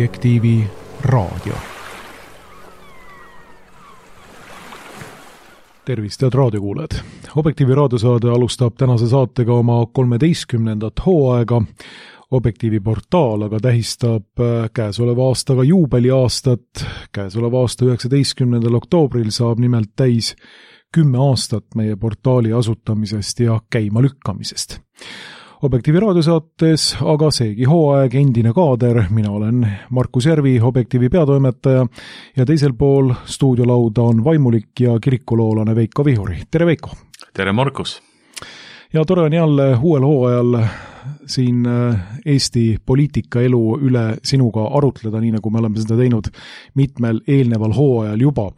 Objektiivi raadio. Tervist, head raadiokuulajad! Objektiivi raadiosaade alustab tänase saatega oma 13. hooaega. Objektiivi portaal aga tähistab käesoleva aastaga juubeliaastat. Käesoleva aasta 19. oktoobril saab nimelt täis 10 aastat meie portaali asutamisest ja käima lükkamisest. Objektiivi raadiosaates aga seegi hooaeg endine kaader, mina olen Markus Järvi, Objektiivi peatoimetaja ja teisel pool stuudiolauda on vaimulik ja kirikuloolane Veiko Vihuri. Tere Veiko! Tere Markus! Ja tore on jälle uuel hooajal siin Eesti poliitikaelu üle sinuga arutleda, nii nagu me oleme seda teinud mitmel eelneval hooajal juba.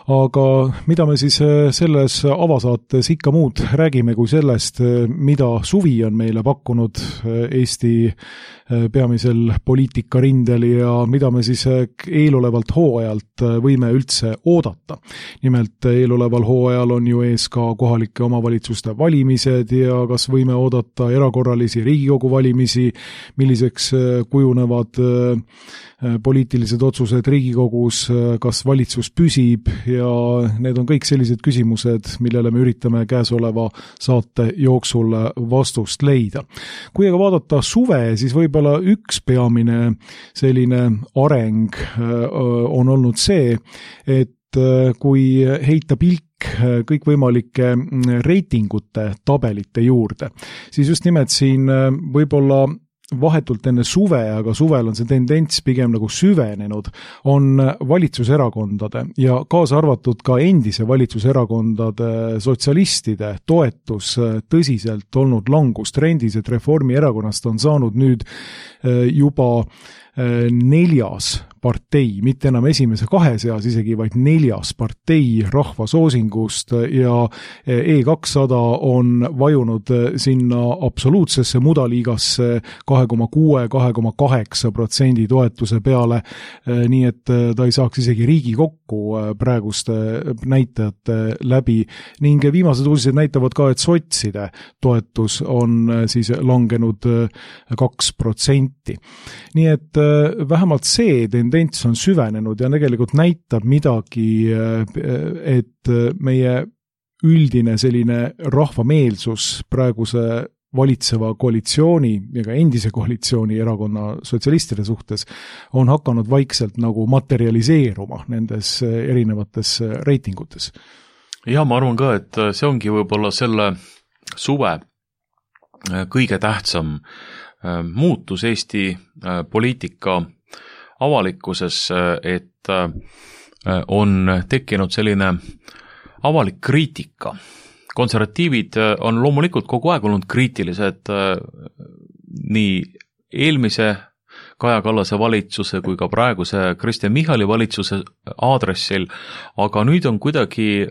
Aga mida me siis selles avasaates ikka muud räägime kui sellest, mida suvi on meile pakkunud Eesti peamisel poliitikarindel ja mida me siis eelolevalt hooajalt võime üldse oodata. Nimelt eeloleval hooajal on ju ees ka kohalike omavalitsuste valimised ja kas võime oodata erakorralisi Riigikogu valimisi, milliseks kujunevad poliitilised otsused Riigikogus, kas valitsus püsib ja need on kõik sellised küsimused, millele me üritame käesoleva saate jooksul vastust leida. Kui aga vaadata suve, siis võib-olla üks peamine selline areng on olnud see, et kui heita pilk kõikvõimalike reitingute tabelite juurde, siis just nimelt siin võib-olla vahetult enne suve, aga suvel on see tendents pigem nagu süvenenud, on valitsuserakondade ja kaasa arvatud ka endise valitsuserakondade sotsialistide toetus tõsiselt olnud langustrendis, et Reformierakonnast on saanud nüüd juba 4. partei, mitte enam esimese 2 seas isegi, vaid 4. partei rahvasoosingust ja E200 on vajunud sinna absoluutsesse mudaliigasse 2,6-2,8% toetuse peale, nii et ta ei saaks isegi Riigikokku praeguste näitajate läbi ning viimased uudised näitavad ka, et sotside toetus on siis langenud 2%. Nii et vähemalt see tendents on süvenenud ja tegelikult näitab midagi, et meie üldine selline rahvameelsus praeguse valitseva koalitsiooni ja ka endise koalitsiooni erakonna sotsialistide suhtes on hakanud vaikselt nagu materialiseeruma nendes erinevates reitingutes. Ja ma arvan ka, et see ongi võib-olla selle suve kõige tähtsam muutus Eesti poliitika avalikkuses, et on tekkinud selline avalik kriitika. Konservatiivid on loomulikult kogu aeg olnud kriitilised nii eelmise Kaja Kallase valitsuse kui ka praeguse Kristen Michali valitsuse aadressil, aga nüüd on kuidagi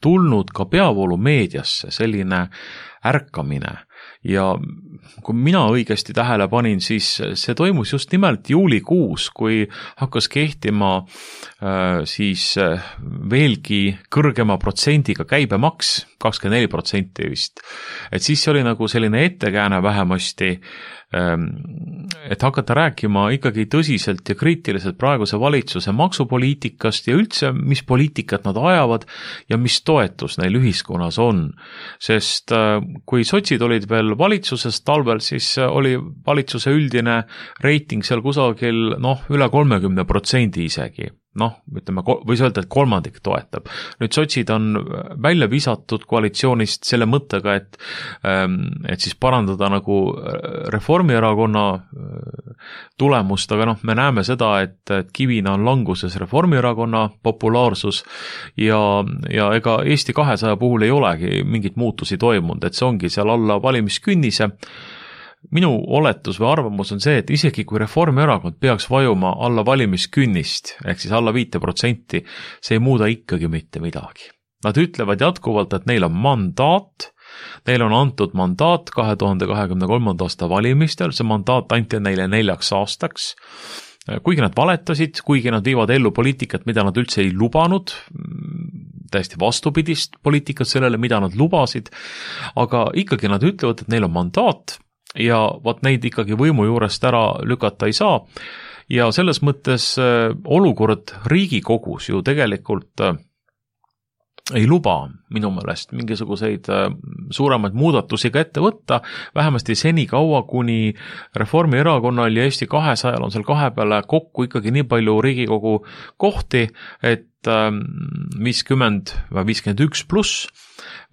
tulnud ka peavoolu meediasse selline ärkamine. Ja kui mina õigesti tähele panin, siis see toimus just nimelt juulikuus, kui hakkas kehtima siis veelgi kõrgema protsendiga käibemaks, 24% vist. Et siis oli nagu selline ettekääne vähemasti, et hakata rääkima ikkagi tõsiselt ja kriitiliselt praeguse valitsuse maksupoliitikast ja üldse, mis poliitikat nad ajavad ja mis toetus neil ühiskonnas on. Sest kui sotsid olid veel valitsuses talvel, siis oli valitsuse üldine reiting seal kusagil üle 30% isegi. Ütleme, võis öelda, et kolmandik toetab. Nüüd sotsid on välja visatud koalitsioonist selle mõttega, et siis parandada nagu Reformierakonna tulemust, aga me näeme seda, et kivina on languses Reformierakonna populaarsus ja ega Eesti 200 puhul ei olegi mingit muutusi toimunud, et see ongi seal alla valimiskünnise. Minu oletus või arvamus on see, et isegi kui Reformierakond peaks vajuma alla valimiskünnist, ehk siis alla 5%, see ei muuda ikkagi mitte midagi. Nad ütlevad jätkuvalt, et neil on mandaat, neil on antud mandaat 2023. aasta valimistel, see mandaat anti neile 4 aastaks, kuigi nad valetasid, kuigi nad viivad ellu poliitikat, mida nad üldse ei lubanud, täiesti vastupidist poliitikat sellele, mida nad lubasid, aga ikkagi nad ütlevad, et neil on mandaat, ja neid ikkagi võimu juurest ära lükata ei saa. ja selles mõttes olukord Riigikogus ju tegelikult ei luba minu meelest mingisuguseid suuremaid muudatusi ka ette võtta, vähemasti seni kaua, kuni Reformierakonnal ja Eesti 200 on seal kahe peale kokku ikkagi nii palju Riigikogu kohti, et 50 või 51 pluss,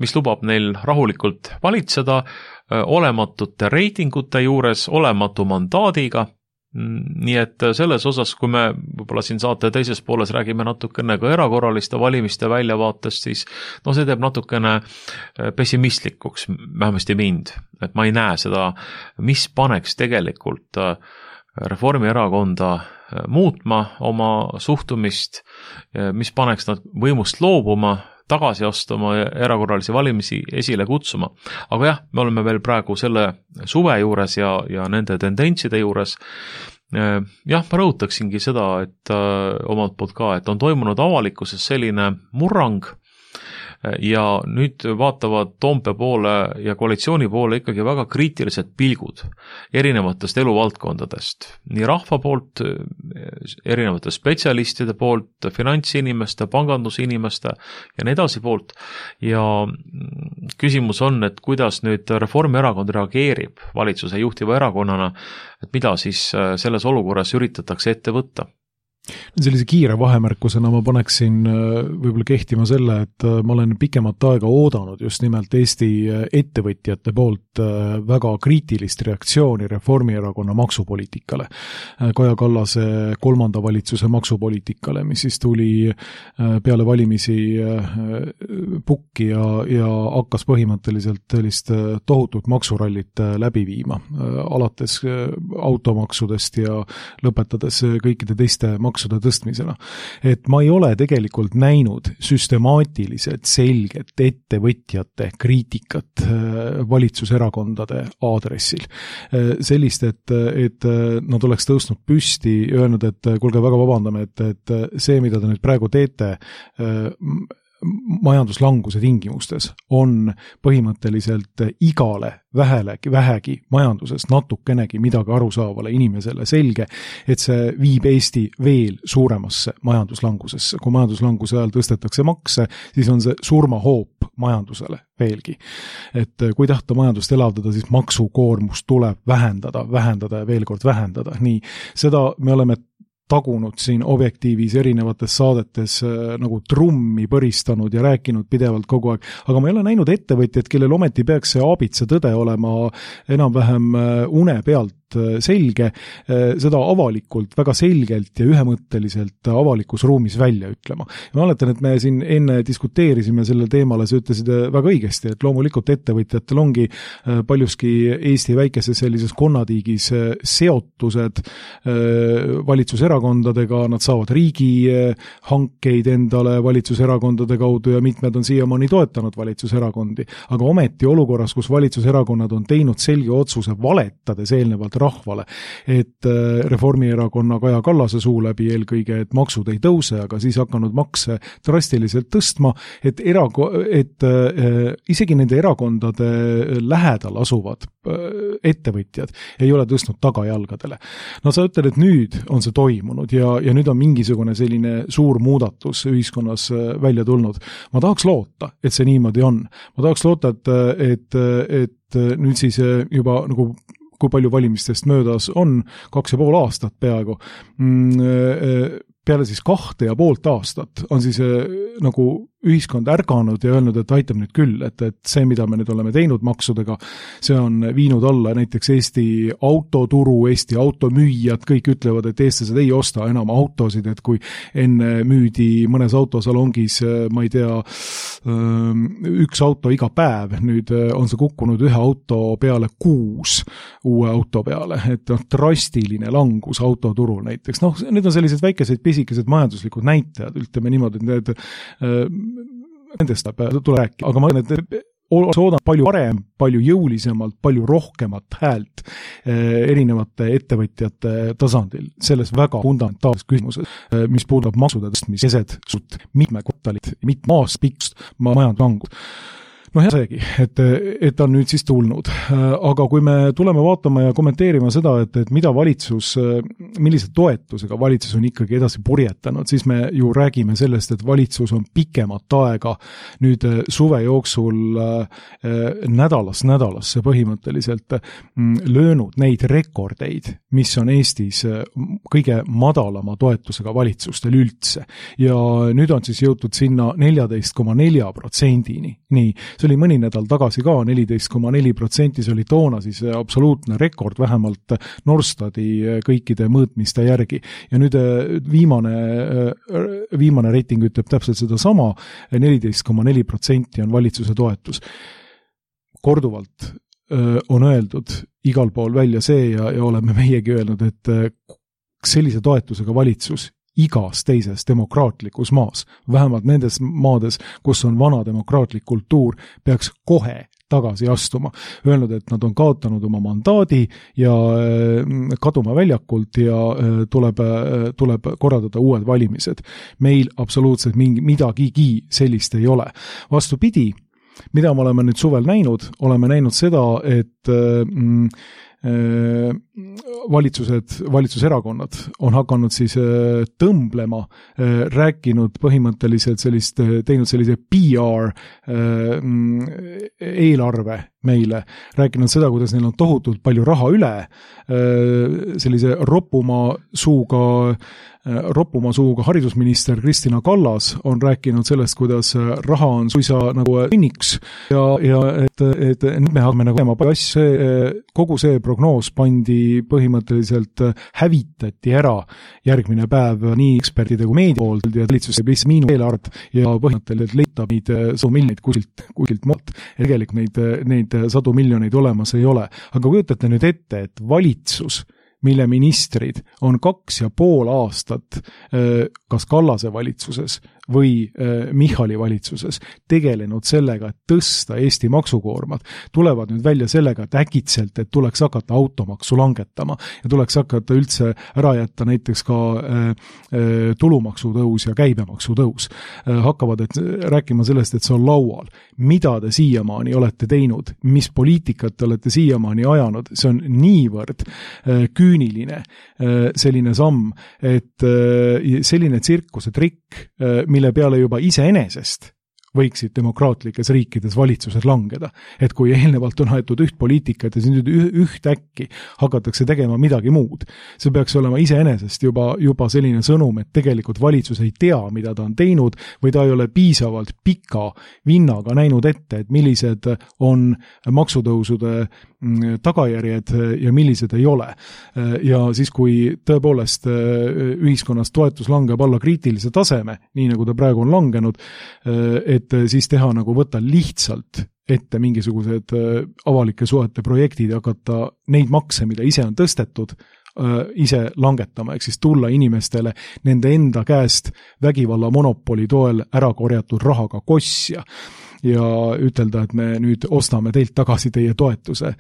mis lubab neil rahulikult valitseda olematute reitingute juures, olematu mandaadiga. Nii et selles osas, kui me võib-olla siin saate teises pooles räägime natukene ka erakorraliste valimiste väljavaatest, siis see teeb natukene pessimistlikuks, vähemasti mind, et ma ei näe seda, mis paneks tegelikult Reformierakonda muutma oma suhtumist, mis paneks nad võimust loobuma, tagasi astuma ja erakorralisi valimisi esile kutsuma. Aga jah, me oleme veel praegu selle suve juures ja nende tendentside juures. Jah, ma rõhutaksingi seda, et omalt poolt ka, et on toimunud avalikkuses selline murrang ja nüüd vaatavad Toompea poole ja koalitsiooni poole ikkagi väga kriitilised pilgud erinevatest eluvaldkondadest. Nii rahva poolt, erinevate spetsialistide poolt, finantsinimeste, pangandusinimeste ja nii edasi poolt. Ja küsimus on, et kuidas nüüd Reformierakond reageerib valitsuse juhtiva erakonnana, et mida siis selles olukorras üritatakse ette võtta. Sellise kiire vahemärkusena ma paneksin võib-olla kehtima selle, et ma olen pikemat aega oodanud just nimelt Eesti ettevõtjate poolt väga kriitilist reaktsiooni Reformierakonna maksupoliitikale. Kaja Kallase 3. valitsuse maksupoliitikale, mis siis tuli peale valimisi pukki ja hakkas põhimõtteliselt sellist tohutut maksurallit läbi viima, alates automaksudest ja lõpetades kõikide teiste maksude tõstmisena. Et ma ei ole tegelikult näinud süstemaatiliselt selget ettevõtjate kriitikat valitsuserakondade aadressil. Sellist, et nad oleks tõusnud püsti ja öelnud, et kuulge, väga vabandame, et see, mida te nüüd praegu teete majanduslanguse tingimustes, on põhimõtteliselt igale vähegi majanduses natukenegi midagi arusaavale inimesele selge, et see viib Eesti veel suuremasse majanduslangusesse. Kui majanduslanguse ajal tõstetakse makse, siis on see surmahoop majandusele veelgi. Et kui tahta majandust elavdada, siis maksukoormust tuleb vähendada ja veel kord vähendada. Nii, seda me oleme tagunud siin Objektiivis erinevates saadetes nagu trummi põristanud ja rääkinud pidevalt kogu aeg, aga ma ei ole näinud ettevõtjad, kellel ometi peaks see aabitsa tõde olema enam-vähem une pealt selge, seda avalikult, väga selgelt ja ühemõtteliselt avalikus ruumis välja ütlema. Ma mäletan, et me siin enne diskuteerisime sellel teemale, sa ütlesid väga õigesti, et loomulikult ettevõtjatel ongi paljuski Eesti väikeses sellises konnatiigis seotused valitsuserakondadega, nad saavad riigi hankeid endale valitsuserakondade kaudu ja mitmed on siiamaani toetanud valitsuserakondi. Aga ometi olukorras, kus valitsuserakonnad on teinud selge otsuse valetades eelnevalt rahvale, et Reformierakonna Kaja Kallase suu läbi eelkõige, et maksud ei tõuse, aga siis hakanud makse drastiliselt tõstma, et isegi nende erakondade lähedal asuvad ettevõtjad ei ole tõstnud tagajalgadele. No sa ütled, et nüüd on see toimunud ja nüüd on mingisugune selline suur muudatus ühiskonnas välja tulnud. Ma tahaks loota, et see niimoodi on. Ma tahaks loota, et nüüd siis juba nagu kui palju valimistest möödas on, 2,5 aastat peaaegu, peale siis 2,5 aastat on siis nagu ühiskond ärganud ja öelnud, et aitab nüüd küll, et see, mida me nüüd oleme teinud maksudega, see on viinud alla näiteks Eesti autoturu, Eesti automüüjad, kõik ütlevad, et eestlased ei osta enam autosid, et kui enne müüdi mõnes autosalongis, ma ei tea, üks auto iga päev, nüüd on see kukkunud 1 auto peale 6 uue auto peale, et drastiline langus autoturul näiteks. Need on sellised väikesed pisikesed majanduslikud näitajad, ütleme niimoodi, et nendest tuleb rääkida, aga ma arvan, et soodan palju parem, palju jõulisemalt, palju rohkemat häält erinevate ettevõtjate tasandil selles väga fundamentaalses küsimuses, mis puudab maksude tõstmist keset mitme kvartalit, mitme aasta pikkust majanduslangut. noh, ja seegi, et on nüüd siis tulnud. Aga kui me tuleme vaatama ja kommenteerima seda, et mida valitsus, millise toetusega valitsus on ikkagi edasi purjetanud, siis me ju räägime sellest, et valitsus on pikemat aega nüüd suve jooksul nädalast nädalasse põhimõtteliselt löönud neid rekordeid, mis on Eestis kõige madalama toetusega valitsustel üldse. Ja nüüd on siis jõutud sinna 14,4%-ni. Nii, see oli mõni nädal tagasi ka 14,4%, see oli toona siis absoluutne rekord, vähemalt Norstati kõikide mõõtmiste järgi. Ja nüüd viimane reiting ütleb täpselt seda sama, 14,4% on valitsuse toetus. Korduvalt on öeldud igal pool välja see ja oleme meiegi öelnud, et sellise toetusega valitsus igas teises demokraatlikus maas, vähemalt nendes maades, kus on vana demokraatlik kultuur, peaks kohe tagasi astuma. Öelnud, et nad on kaotanud oma mandaadi ja kaduma väljakult ja tuleb korraldada uued valimised. Meil absoluutselt midagigi sellist ei ole. Vastupidi, mida me oleme nüüd suvel näinud, oleme näinud seda, et valitsuserakonnad on hakanud siis tõmblema, rääkinud põhimõtteliselt teinud sellise PR eelarve meile, rääkinud seda, kuidas neil on tohutult palju raha üle, sellise roppuma suuga haridusminister Kristina Kallas on rääkinud sellest, kuidas raha on suisa nagu õnniks ja et me hakkame nagu tegema kogu see prognoos pandi põhimõtteliselt hävitati ära järgmine päev nii ekspertide kui meedia poolt ja valitsus teeb lihtsalt miinuseelard ja põhimõtteliselt leitab neid sadu miljoneid kuskilt maalt. Tegelikult neid sadu miljoneid olemas ei ole. Aga kujutate nüüd ette, et valitsus, mille ministrid on 2,5 aastat kas Kallase valitsuses või Michali valitsuses tegelenud sellega, et tõsta Eesti maksukoormat, tulevad nüüd välja sellega, et äkitselt, et tuleks hakata automaksu langetama ja tuleks hakata üldse ära jätta näiteks ka tulumaksu tõus ja käibemaksu tõus. Hakkavad rääkima sellest, et see on laual. Mida te siiamaani olete teinud? Mis poliitikat te olete siiamaani ajanud? See on niivõrd küüniline selline samm, et selline tsirkuse trikk, mille peale juba iseenesest võiksid demokraatlikes riikides valitsused langeda. Et kui eelnevalt on aetud üht poliitikat ja nüüd ühtäkki hakatakse tegema midagi muud, see peaks olema iseenesest juba selline sõnum, et tegelikult valitsus ei tea, mida ta on teinud või ta ei ole piisavalt pika vinnaga näinud ette, et millised on maksutõusude tagajärjed ja millised ei ole. Ja siis, kui tõepoolest ühiskonnas toetus langeb alla kriitilise taseme, nii nagu ta praegu on langenud, et siis teha nagu võtta lihtsalt ette mingisugused avalike suhete projektid ja hakata neid makse, mida ise on tõstetud, ise langetama, ehk siis tulla inimestele nende enda käest vägivalla monopoli toel ära korjatud rahaga kosja ja ütelda, et me nüüd ostame teilt tagasi teie toetuse.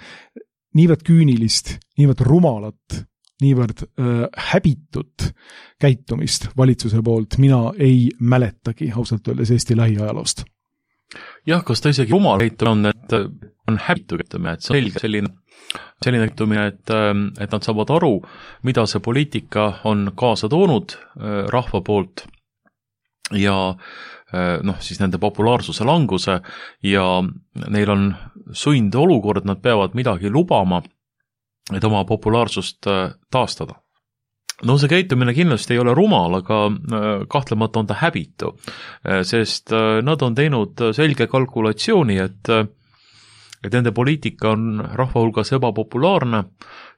Niivõrd küünilist, niivõrd rumalat, niivõrd häbitut käitumist valitsuse poolt mina ei mäletagi ausalt öeldes Eesti lähiajaloost. Jah, kas ta isegi rumal käitumine on, et on häbitu käitumine, et see on selge selline käitumine, et nad saavad aru, mida see poliitika on kaasa toonud rahva poolt ja siis nende populaarsuse languse ja neil on sund olukord, nad peavad midagi lubama, et oma populaarsust taastada. No see käitumine kindlasti ei ole rumal, aga kahtlemata on ta häbitu, sest nad on teinud selge kalkulatsiooni, et nende poliitika on rahva hulgas ebapopulaarne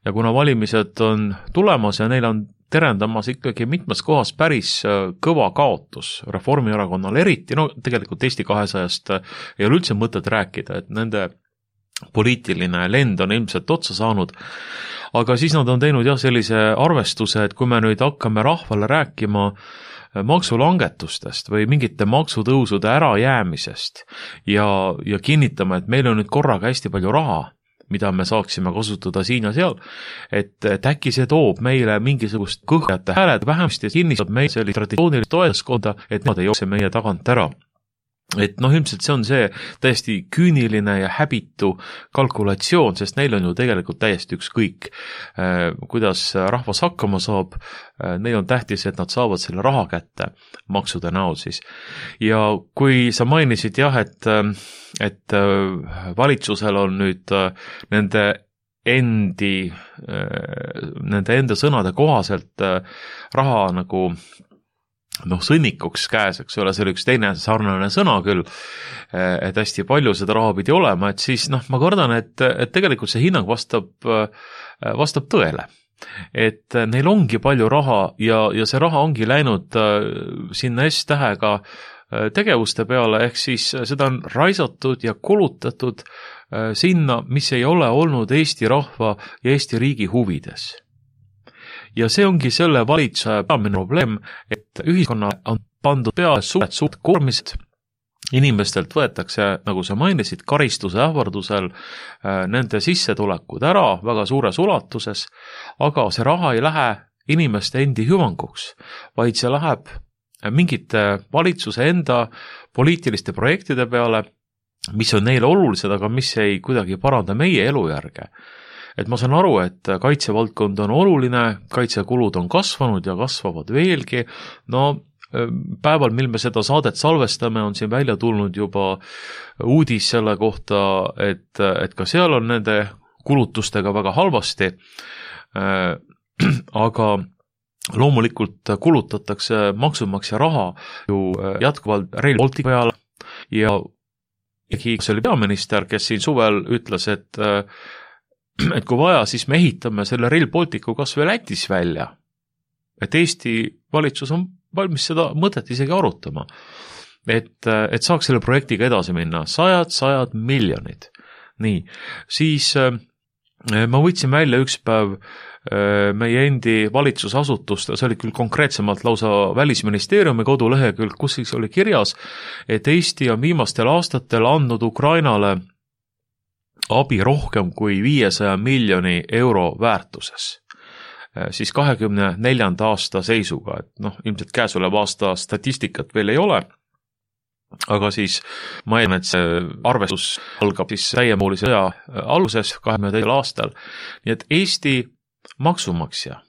ja kuna valimised on tulemas ja neil on terendamas ikkagi mitmes kohas päris kõva kaotus Reformierakonnal eriti, tegelikult Eesti 200-st ei ole üldse mõtet rääkida, et nende poliitiline lend on ilmselt otsa saanud, aga siis nad on teinud sellise arvestuse, et kui me nüüd hakkame rahvale rääkima maksulangetustest või mingite maksutõusude ärajäämisest ja kinnitama, et meil on nüüd korraga hästi palju raha, mida me saaksime kasutada siin ja seal, et äkki see toob meile mingisugust kõhjate hääled vähemasti ja kinnistab meie sellist traditsioonilist toetuskonda, et nad ei jookse meie tagant ära. et ilmselt see on see täiesti küüniline ja häbitu kalkulatsioon, sest neil on ju tegelikult täiesti ükskõik, kuidas rahvas hakkama saab, neil on tähtis, et nad saavad selle raha kätte maksude näol siis. Ja kui sa mainisid jah, et valitsusel on nüüd nende enda sõnade kohaselt raha nagu sõnnikuks käes, eks ole, see oli üks teine sarnane sõna küll, et hästi palju seda raha pidi olema, et siis ma kardan, et tegelikult see hinnang vastab tõele. Et neil ongi palju raha ja see raha ongi läinud sinna S-tähega tegevuste peale, ehk siis seda on raisatud ja kulutatud sinna, mis ei ole olnud Eesti rahva ja Eesti riigi huvides. Ja see ongi selle valitseja peamine probleem, et ühiskonnale on pandud peale suurt koormist, inimestelt võetakse, nagu sa mainisid, karistuse ähvardusel nende sissetulekud ära väga suures ulatuses, aga see raha ei lähe inimeste endi hüvanguks, vaid see läheb mingite valitsuse enda poliitiliste projektide peale, mis on neile olulised, aga mis ei kuidagi paranda meie elujärge. Et ma saan aru, et kaitsevaldkond on oluline, kaitsekulud on kasvanud ja kasvavad veelgi, päeval, mil me seda saadet salvestame, on siin välja tulnud juba uudis selle kohta, et ka seal on nende kulutustega väga halvasti, aga loomulikult kulutatakse maksumaksja raha ju jätkuvalt Rail Balticu peale ja see oli peaminister, kes siin suvel ütles, et kui vaja, siis me ehitame selle Rail Balticu kas või Lätis välja. Et Eesti valitsus on valmis seda mõtet isegi arutama. Et saaks selle projektiga edasi minna. Sajad miljonid. Nii, siis ma võtsin välja üks päev meie endi valitsusasutust, see oli küll konkreetsemalt lausa Välisministeeriumi kodulehekülg, kus siis oli kirjas, et Eesti on viimastel aastatel andnud Ukrainale abi rohkem kui 500 miljoni euro väärtuses. Siis 24. aasta seisuga, et ilmselt käesoleva aasta statistikat veel ei ole, aga siis ma eeldan, et see arvestus algab siis täiemahulise sõja alguses 22. aastal. Nii et Eesti maksumaksja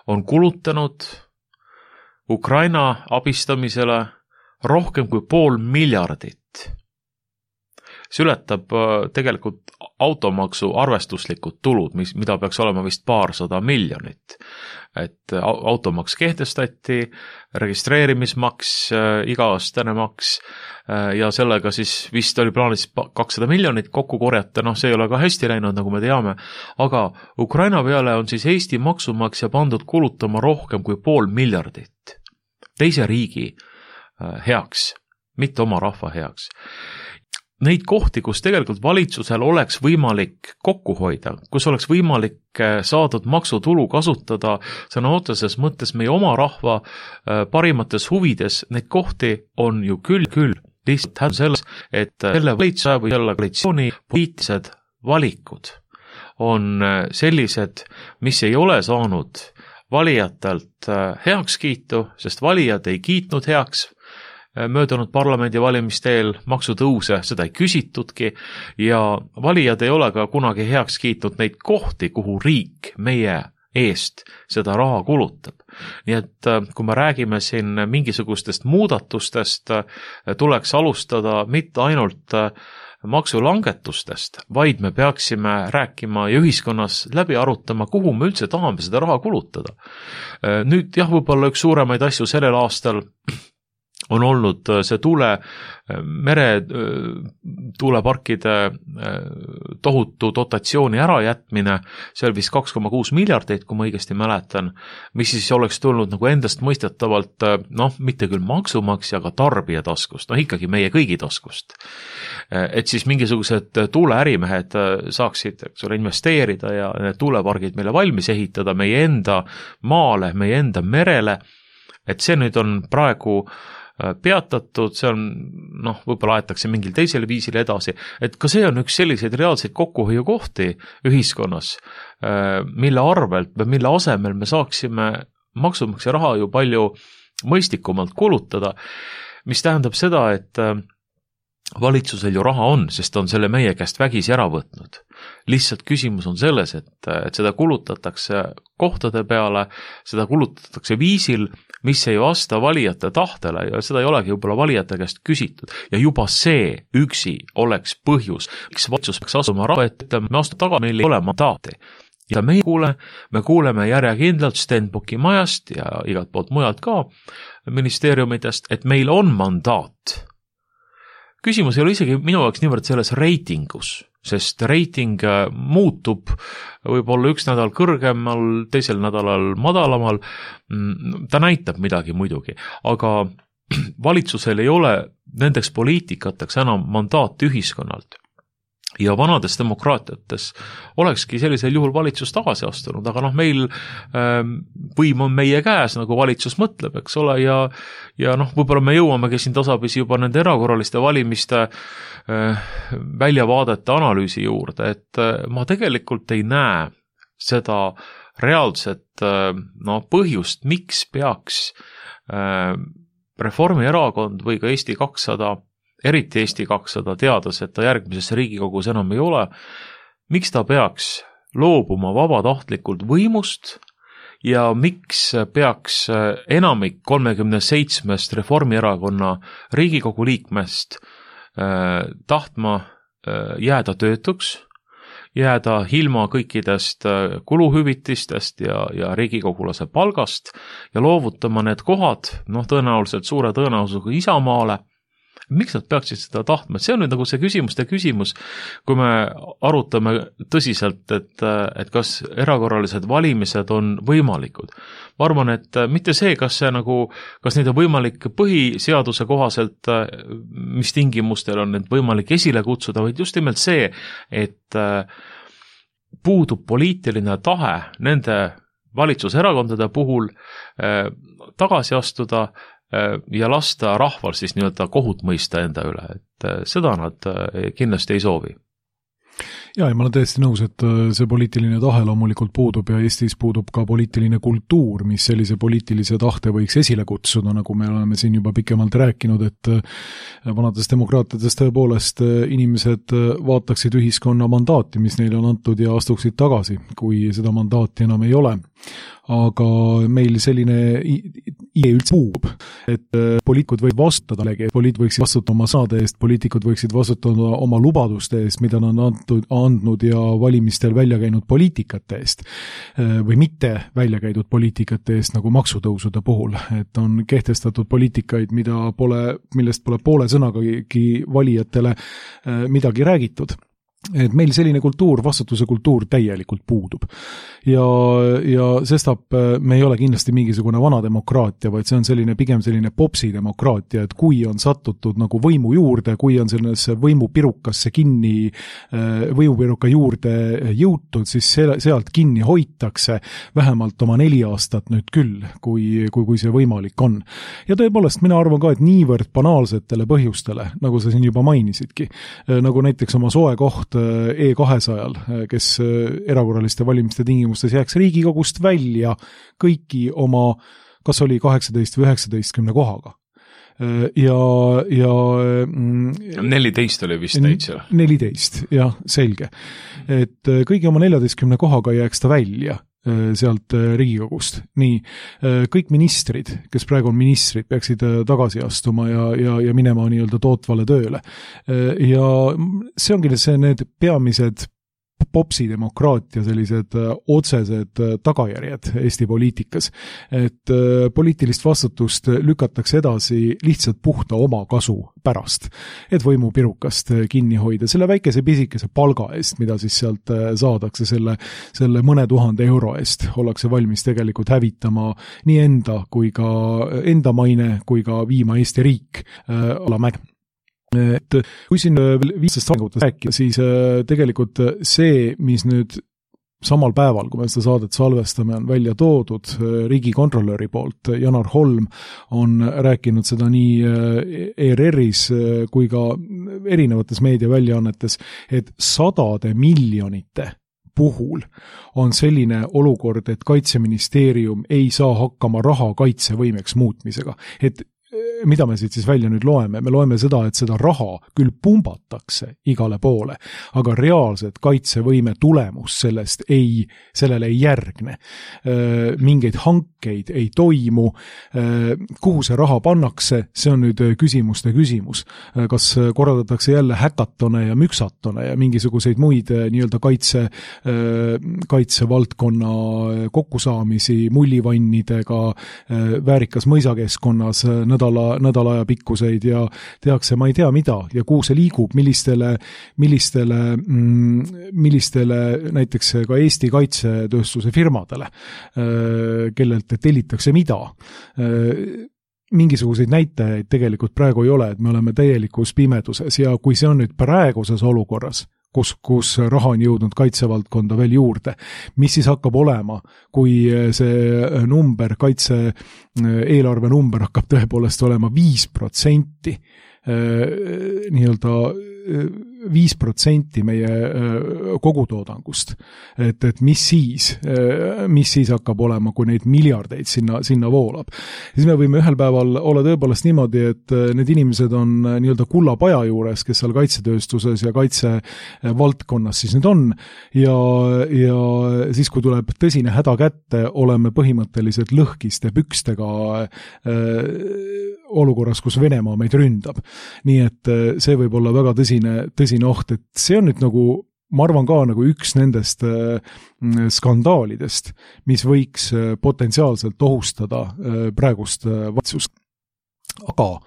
on kulutanud Ukraina abistamisele rohkem kui 500 miljardit. See ületab tegelikult automaksu arvestuslikud tulud, mida peaks olema vist 200 miljonit. Et automaks kehtestati, registreerimismaks, iga-aastane maks ja sellega siis vist oli plaanis 200 miljonit kokku korjata, see ei ole ka hästi läinud, nagu me teame, aga Ukraina peale on siis Eesti maksumaksja pandud kulutama rohkem kui 500 miljardit teise riigi heaks, mitte oma rahva heaks. Neid kohti, kus tegelikult valitsusel oleks võimalik kokku hoida, kus oleks võimalik saadud maksutulu kasutada sõna otseses mõttes meie oma rahva parimates huvides, neid kohti on ju küll. Lihtsalt händ selles, et selle valitsuse või selle koalitsiooni poliitilised valikud on sellised, mis ei ole saanud valijatelt heakskiitu, sest valijad ei kiitnud heaks möödunud parlamendivalimisteel maksutõuse, seda ei küsitudki ja valijad ei ole ka kunagi heaks kiitnud neid kohti, kuhu riik meie eest seda raha kulutab. Nii et kui me räägime siin mingisugustest muudatustest, tuleks alustada mitte ainult maksulangetustest, vaid me peaksime rääkima ja ühiskonnas läbi arutama, kuhu me üldse tahame seda raha kulutada. Nüüd jah, võib-olla üks suuremaid asju sellel aastal on olnud see meretuuleparkide tohutu dotatsiooni ärajätmine, see oli vist 2,6 miljardit, kui ma õigesti mäletan, mis siis oleks tulnud nagu endast mõistetavalt, mitte küll maksumaksja, aga tarbija taskust, ikkagi meie kõigi taskust. Et siis mingisugused tuuleärimehed saaksid investeerida ja need tuulepargid meile valmis ehitada meie enda maale, meie enda merele, et see nüüd on praegu peatatud, see on, võib-olla aetakse mingil teisel viisil edasi, et ka see on üks selliseid reaalseid kokkuhoiukohti ühiskonnas, mille arvelt või mille asemel me saaksime maksumaksja raha ju palju mõistlikumalt kulutada. mis tähendab seda, et valitsusel ju raha on, sest on selle meie käest vägisi ära võtnud. Lihtsalt küsimus on selles, et seda kulutatakse kohtade peale, seda kulutatakse viisil, mis ei vasta valijate tahtele ja seda ei olegi võib-olla valijate käest küsitud. Ja juba see üksi oleks põhjus, miks valitsus peaks asuma rahva ette, me astu taga, meil ei ole mandaati. Ja me kuuleme järjekindlalt Stenbocki majast ja igalt poolt mujalt ka ministeeriumidest, et meil on mandaat. Küsimus ei ole isegi minu jaoks niivõrd selles reitingus, sest reiting muutub võib-olla üks nädal kõrgemal, teisel nädalal madalamal, ta näitab midagi muidugi, aga valitsusel ei ole nendeks poliitikateks enam mandaati ühiskonnalt. Ja vanades demokraatiates olekski sellisel juhul valitsus tagasi astunud, aga meil võim on meie käes, nagu valitsus mõtleb, eks ole, ja võib-olla me jõuamegi siin tasapisi juba nende erakorraliste valimiste väljavaadete analüüsi juurde, et ma tegelikult ei näe seda reaalset põhjust, miks peaks Reformierakond või ka Eesti 200 eriti Eesti 200 teades, et ta järgmises Riigikogus enam ei ole, miks ta peaks loobuma vabatahtlikult võimust ja miks peaks enamik 37 Reformierakonna Riigikogu liikmest tahtma jääda töötuks, jääda ilma kõikidest kuluhüvitistest ja riigikogulase palgast ja loovutama need kohad, tõenäoliselt suure tõenäosusega Isamaale. Miks nad peaksid seda tahtma? See on nüüd nagu see küsimus, kui me arutame tõsiselt, et kas erakorralised valimised on võimalikud. Ma arvan, et mitte see, kas neid on võimalik põhiseaduse kohaselt, mis tingimustel on need võimalik esile kutsuda, vaid just nimelt see, et puudub poliitiline tahe nende valitsuserakondade puhul tagasi astuda ja lasta rahval siis nii-öelda kohut mõista enda üle, et seda nad kindlasti ei soovi. Ja ma olen täiesti nõus, et see poliitiline tahe loomulikult puudub ja Eestis puudub ka poliitiline kultuur, mis sellise poliitilise tahte võiks esile kutsuda, nagu me oleme siin juba pikemalt rääkinud, et vanades demokraatiades tõepoolest inimesed vaataksid ühiskonna mandaati, mis neile on antud ja astuksid tagasi, kui seda mandaati enam ei ole. Aga meil selline idee üldse puudub, et poliitikud võivad vastutada, poliitikud võiksid vastutada oma sõnade eest, poliitikud võiksid vastutada oma lubaduste eest, mida nad on andnud ja valimistel välja käinud poliitikate eest või mitte välja käidud poliitikate eest nagu maksutõusude puhul, et on kehtestatud poliitikaid, millest pole poole sõnagagi valijatele midagi räägitud. Et meil selline kultuur, vastutuse kultuur täielikult puudub. Ja sestap me ei ole kindlasti mingisugune vana demokraatia, vaid see on pigem selline popsi demokraatia, et kui on sattutud nagu võimu juurde, kui on sellesse võimupirukasse võimupiruka juurde jõutud, siis sealt kinni hoitakse vähemalt oma 4 aastat nüüd küll, kui see võimalik on. Ja tõepoolest, mina arvan ka, et niivõrd banaalsetele põhjustele, nagu sa siin juba mainisidki, nagu näiteks oma soe koht E200-l, kes erakorraliste valimiste tingimustes jääks Riigikogust välja kõiki oma, kas oli 18 või 19 kohaga. Ja 14 oli vist täitsa. 14, jah, selge. Et kõigi oma 14 kohaga jääks ta välja sealt Riigikogust. Nii, kõik ministrid, kes praegu on ministrid, peaksid tagasi astuma ja minema nii-öelda tootvale tööle. Ja see ongi need peamised popsidemokraatia sellised otsesed tagajärjed Eesti poliitikas, et poliitilist vastutust lükatakse edasi lihtsalt puhta oma kasu pärast, et võimupirukast kinni hoida selle väikese pisikese palga eest, mida siis sealt saadakse selle mõne 1000 euro eest, ollakse valmis tegelikult hävitama nii enda maine kui ka viima Eesti riik alamäge. Et kui siin viimastest arengutest rääkida, siis tegelikult see, mis nüüd samal päeval, kui me seda saadet salvestame, on välja toodud riigikontrolöri poolt, Janar Holm on rääkinud seda nii ERR-is kui ka erinevates meediaväljaannetes, et 100 miljonite puhul on selline olukord, et Kaitseministeerium ei saa hakkama raha kaitsevõimeks muutmisega. Et mida me siit siis välja nüüd loeme? Me loeme seda, et seda raha küll pumbatakse igale poole, aga reaalset kaitsevõime tulemus sellele ei järgne. Mingeid hankeid ei toimu, kuhu see raha pannakse, see on nüüd küsimuste küsimus. Kas korraldatakse jälle häkatone ja müksatone ja mingisuguseid muid nii-öelda kaitsevaldkonna kokkusaamisi mullivannidega väärikas mõisakeskkonnas nädala aja pikkuseid ja tehakse ma ei tea mida ja kuhu see liigub, millistele näiteks ka Eesti kaitsetööstuse firmadele, kellelt tellitakse mida. Mingisuguseid näitajaid tegelikult praegu ei ole, et me oleme täielikus pimeduses ja kui see on nüüd praeguses olukorras, kus raha on jõudnud kaitsevaldkonda veel juurde, mis siis hakkab olema, kui see number, kaitse-eelarve number hakkab tõepoolest olema 5%, nii-öelda 5% meie kogutoodangust. Et mis siis hakkab olema, kui neid miljardeid sinna voolab. Siis me võime ühel päeval olla tõepoolest niimoodi, et need inimesed on nii-öelda kullapaja juures, kes seal kaitsetööstuses ja kaitsevaldkonnas siis nüüd on ja siis, kui tuleb tõsine häda kätte, oleme põhimõtteliselt lõhkiste pükstega olukorras, kus Venemaa meid ründab. Nii et see võib olla väga tõsine oht, et see on nüüd nagu, ma arvan ka nagu üks nendest skandaalidest, mis võiks potentsiaalselt ohustada praegust valitsust. Aga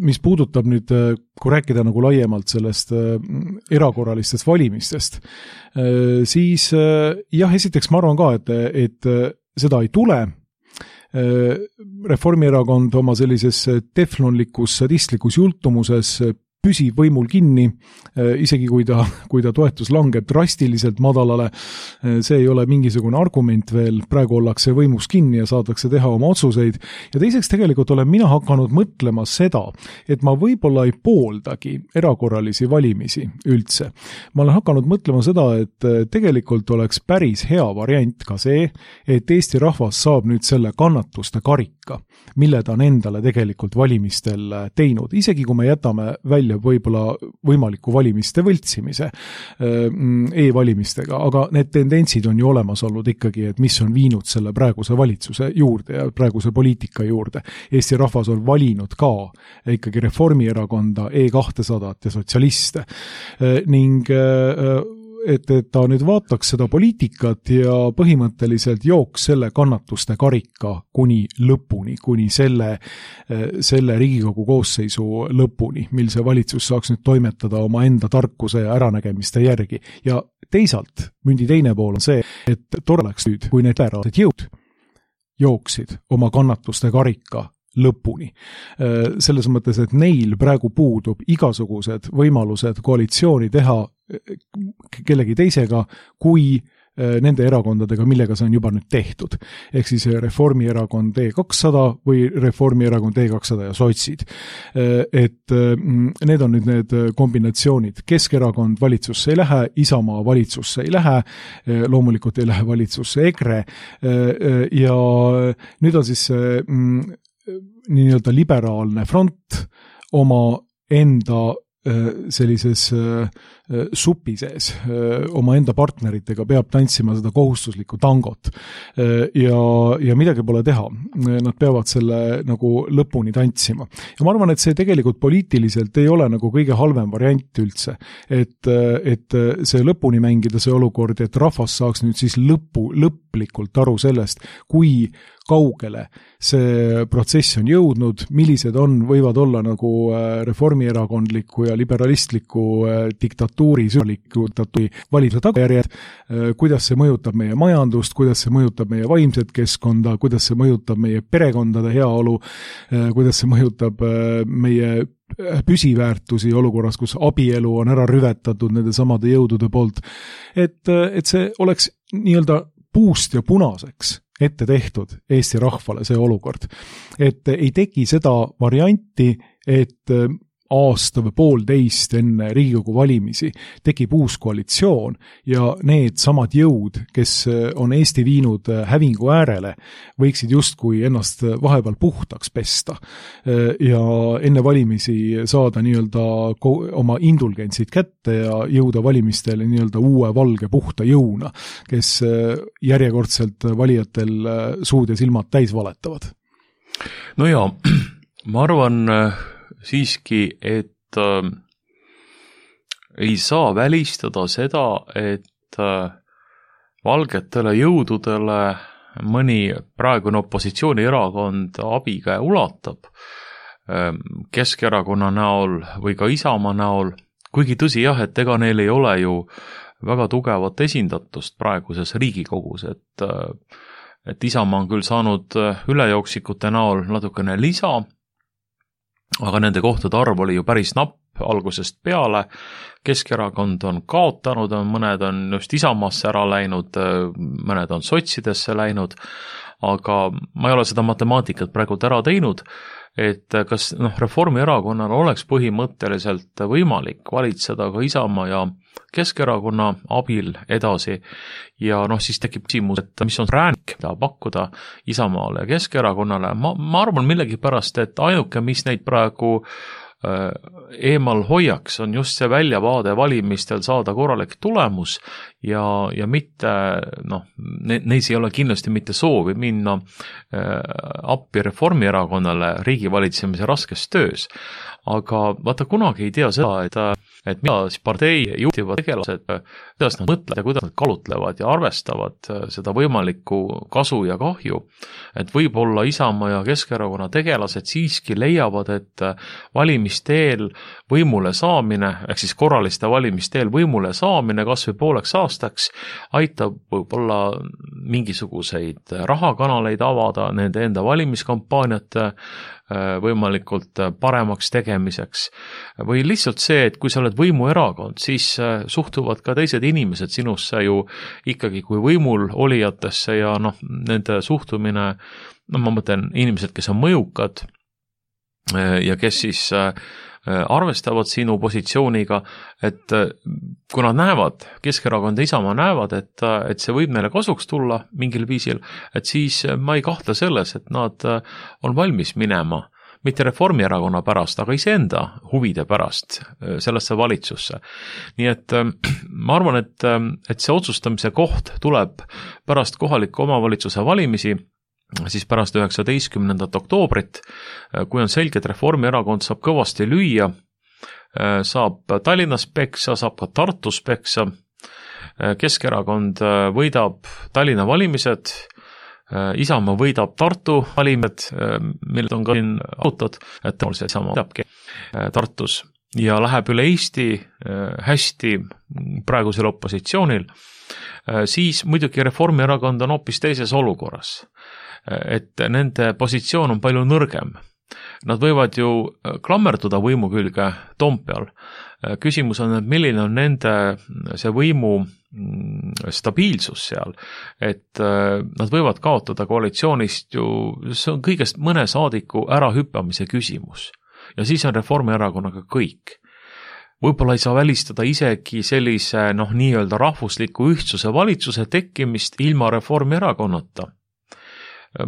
mis puudutab nüüd, kui rääkida nagu laiemalt sellest erakorralistest valimistest, siis jah, esiteks ma arvan ka, et seda ei tule. Reformierakond oma sellises teflonlikus sadistlikus jultumuses püsib võimul kinni, isegi kui ta toetus langeb drastiliselt madalale, see ei ole mingisugune argument veel, praegu ollakse võimus kinni ja saadakse teha oma otsuseid. Ja teiseks tegelikult olen mina hakanud mõtlema seda, et ma võib-olla ei pooldagi erakorralisi valimisi üldse. Ma olen hakanud mõtlema seda, et tegelikult oleks päris hea variant ka see, et Eesti rahvas saab nüüd selle kannatuste karika, mille ta on endale tegelikult valimistel teinud, isegi kui me jätame välja võib-olla võimaliku valimiste võltsimise e-valimistega, aga need tendentsid on ju olemas olnud ikkagi, et mis on viinud selle praeguse valitsuse juurde ja praeguse poliitika juurde. Eesti rahvas on valinud ka ikkagi Reformierakonda, E200 ja sotsialiste ning et ta nüüd vaataks seda poliitikat ja põhimõtteliselt jooks selle kannatuste karika kuni lõpuni, kuni selle Riigikogu koosseisu lõpuni, mil see valitsus saaks nüüd toimetada oma enda tarkuse ja äranägemiste järgi. Ja teisalt, mündi teine pool on see, et tore oleks nüüd, kui need väärased jõud jooksid oma kannatuste karika lõpuni. Selles mõttes, et neil praegu puudub igasugused võimalused koalitsiooni teha kellegi teisega, kui nende erakondadega, millega see on juba nüüd tehtud. Ehk siis Reformierakond E200 või Reformierakond E200 ja sotsid. Et need on nüüd need kombinatsioonid. Keskerakond valitsusse ei lähe, Isamaa valitsusse ei lähe, loomulikult ei lähe valitsusse EKRE ja nüüd on siis nii-öelda liberaalne front oma enda sellises supi sees oma enda partneritega peab tantsima seda kohustuslikku tangot ja midagi pole teha. Nad peavad selle nagu lõpuni tantsima. Ja ma arvan, et see tegelikult poliitiliselt ei ole nagu kõige halvem variant üldse, et see lõpuni mängida see olukord, et rahvas saaks nüüd siis lõplikult aru sellest, kui kaugele see protsess on jõudnud, millised võivad olla nagu reformierakondliku ja liberalistliku diktatuuri valitsuse tagajärjed, kuidas see mõjutab meie majandust, kuidas see mõjutab meie vaimset keskkonda, kuidas see mõjutab meie perekondade heaolu, kuidas see mõjutab meie püsiväärtusi olukorras, kus abielu on ära rüvetatud nende samade jõudude poolt, et see oleks nii-öelda puust ja punaseks ette tehtud Eesti rahvale see olukord. Et ei teki seda varianti, et aasta või poolteist enne Riigikogu valimisi tekib uus koalitsioon ja need samad jõud, kes on Eesti viinud hävingu äärele, võiksid justkui ennast vahepeal puhtaks pesta ja enne valimisi saada nii-öelda oma indulgentsid kätte ja jõuda valimistele nii-öelda uue valge puhta jõuna, kes järjekordselt valijatel suud ja silmad täis valetavad. No jaa, ma arvan siiski, et ei saa välistada seda, et valgetele jõududele mõni praegune opositsioonierakond abikäe ulatab Keskerakonna näol või ka Isamaa näol, kuigi tõsi jah, et ega neil ei ole ju väga tugevat esindatust praeguses Riigikogus, et Isamaa on küll saanud ülejooksikute näol natukene lisa, aga nende kohtade arv oli ju päris napp algusest peale. Keskerakond on kaotanud, mõned on just Isamaasse ära läinud, mõned on sotsidesse läinud, aga ma ei ole seda matemaatikat praegu ära teinud, et kas Reformierakonnal oleks põhimõtteliselt võimalik valitseda ka Isamaa ja Keskerakonna abil edasi ja siis tekib küsimus, et mis on räänik, mida pakkuda Isamaale ja Keskerakonnale. Ma arvan millegipärast, et ainuke, mis neid praegu eemal hoiaks, on just see väljavaade valimistel saada korralik tulemus ja mitte, neis ei ole kindlasti mitte soovi minna appi Reformierakonnale riigivalitsemise raskes töös. Aga vaata, kunagi ei tea seda, et mida siis partei juhtivad tegelased, kuidas nad mõtlevad ja kuidas nad kalutlevad ja arvestavad seda võimalikku kasu ja kahju. Et võib-olla Isamaa ja Keskerakonna tegelased siiski leiavad, et valimisteel võimule saamine, ehk siis korraliste valimisteel võimule saamine kas või pooleks aastaks aitab võib-olla mingisuguseid rahakanaleid avada nende enda valimiskampaaniate võimalikult paremaks tegemiseks. Või lihtsalt see, et kui sa oled võimuerakond, siis suhtuvad ka teised inimesed sinusse ju ikkagi kui võimul olijatesse ja nende suhtumine, ma mõtlen inimesed, kes on mõjukad ja kes siis arvestavad sinu positsiooniga, et kui nad näevad, Keskerakond ja Isamaa näevad, et see võib neile kasuks tulla mingil viisil, et siis ma ei kahtle selles, et nad on valmis minema, mitte Reformierakonna pärast, aga iseenda huvide pärast sellesse valitsusse. Nii et ma arvan, et see otsustamise koht tuleb pärast kohaliku omavalitsuse valimisi, siis pärast 19. oktoobrit, kui on selge, et Reformierakond saab kõvasti lüüa, saab Tallinnas peksa, saab ka Tartus peksa, Keskerakond võidab Tallinna valimised, Isamaa võidab Tartu valimised, millest on ka siin arutad, et tõenäoliselt Isamaa võidabki Tartus ja läheb üle Eesti hästi praegusel opositsioonil, siis muidugi Reformierakond on hoopis teises olukorras. Et nende positsioon on palju nõrgem. Nad võivad ju klammerduda võimu külge Toompeal. Küsimus on, et milline on nende see võimu stabiilsus seal, et nad võivad kaotada koalitsioonist ju, see on kõigest mõne saadiku ärahüppamise küsimus. Ja siis on Reformierakonnaga kõik. Võib-olla ei saa välistada isegi sellise nii-öelda rahvusliku ühtsuse valitsuse tekkimist ilma Reformierakonnata.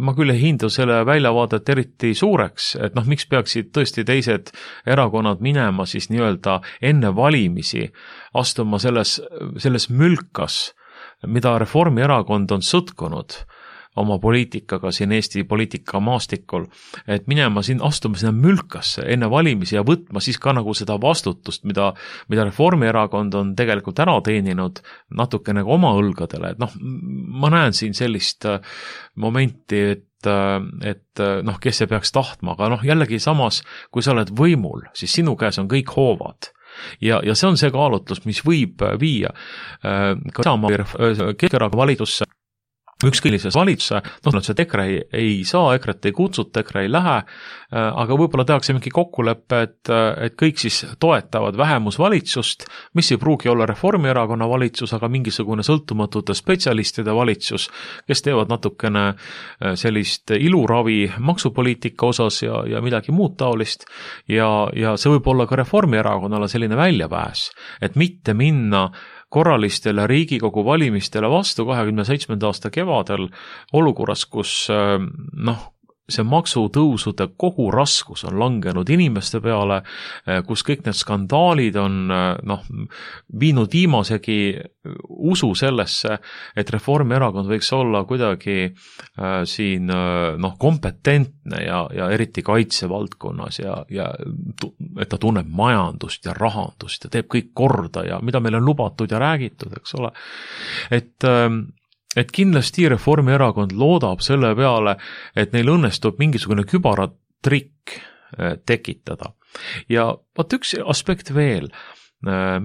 Ma küll ei hindu selle väljavaadet eriti suureks, et miks peaksid tõesti teised erakonnad minema siis nii-öelda enne valimisi astuma selles mülkas, mida Reformierakond on sõtkunud oma poliitikaga siin Eesti poliitika maastikul, et minema siin astuma sinna mülkasse enne valimisi ja võtma siis ka seda vastutust, mida Reformierakond on tegelikult ära teeninud natukene oma õlgadele, et ma näen siin sellist momenti, et kes see peaks tahtma, aga jällegi samas, kui sa oled võimul, siis sinu käes on kõik hoovad. Ja see on see kaalutlus, mis võib viia ka Isamaa Keskerakonna valitsusse ükskõilises valitsuse, see EKRE ei saa, EKRE-t ei kutsuta, EKRE ei lähe, aga võib-olla tehakse mingi kokkulepe, et kõik siis toetavad vähemusvalitsust, mis ei pruugi olla Reformierakonna valitsus, aga mingisugune sõltumatute spetsialistide valitsus, kes teevad natukene sellist iluravi maksupoliitika osas ja midagi muud taolist ja see võib olla ka Reformierakonnale selline väljapääs, et mitte minna korralistele Riigikogu valimistele vastu 27. aasta kevadel olukorras, kus see maksutõusude kogu raskus on langenud inimeste peale, kus kõik need skandaalid on viinud viimasegi usu sellesse, et Reformierakond võiks olla kuidagi siin kompetentne ja eriti kaitsevaldkonnas ja et ta tunneb majandust ja rahandust ja teeb kõik korda ja mida meil on lubatud ja räägitud, eks ole. Et kindlasti Reformierakond loodab selle peale, et neil õnnestub mingisugune kübaratrikk tekitada. Ja vaat üks aspekt veel,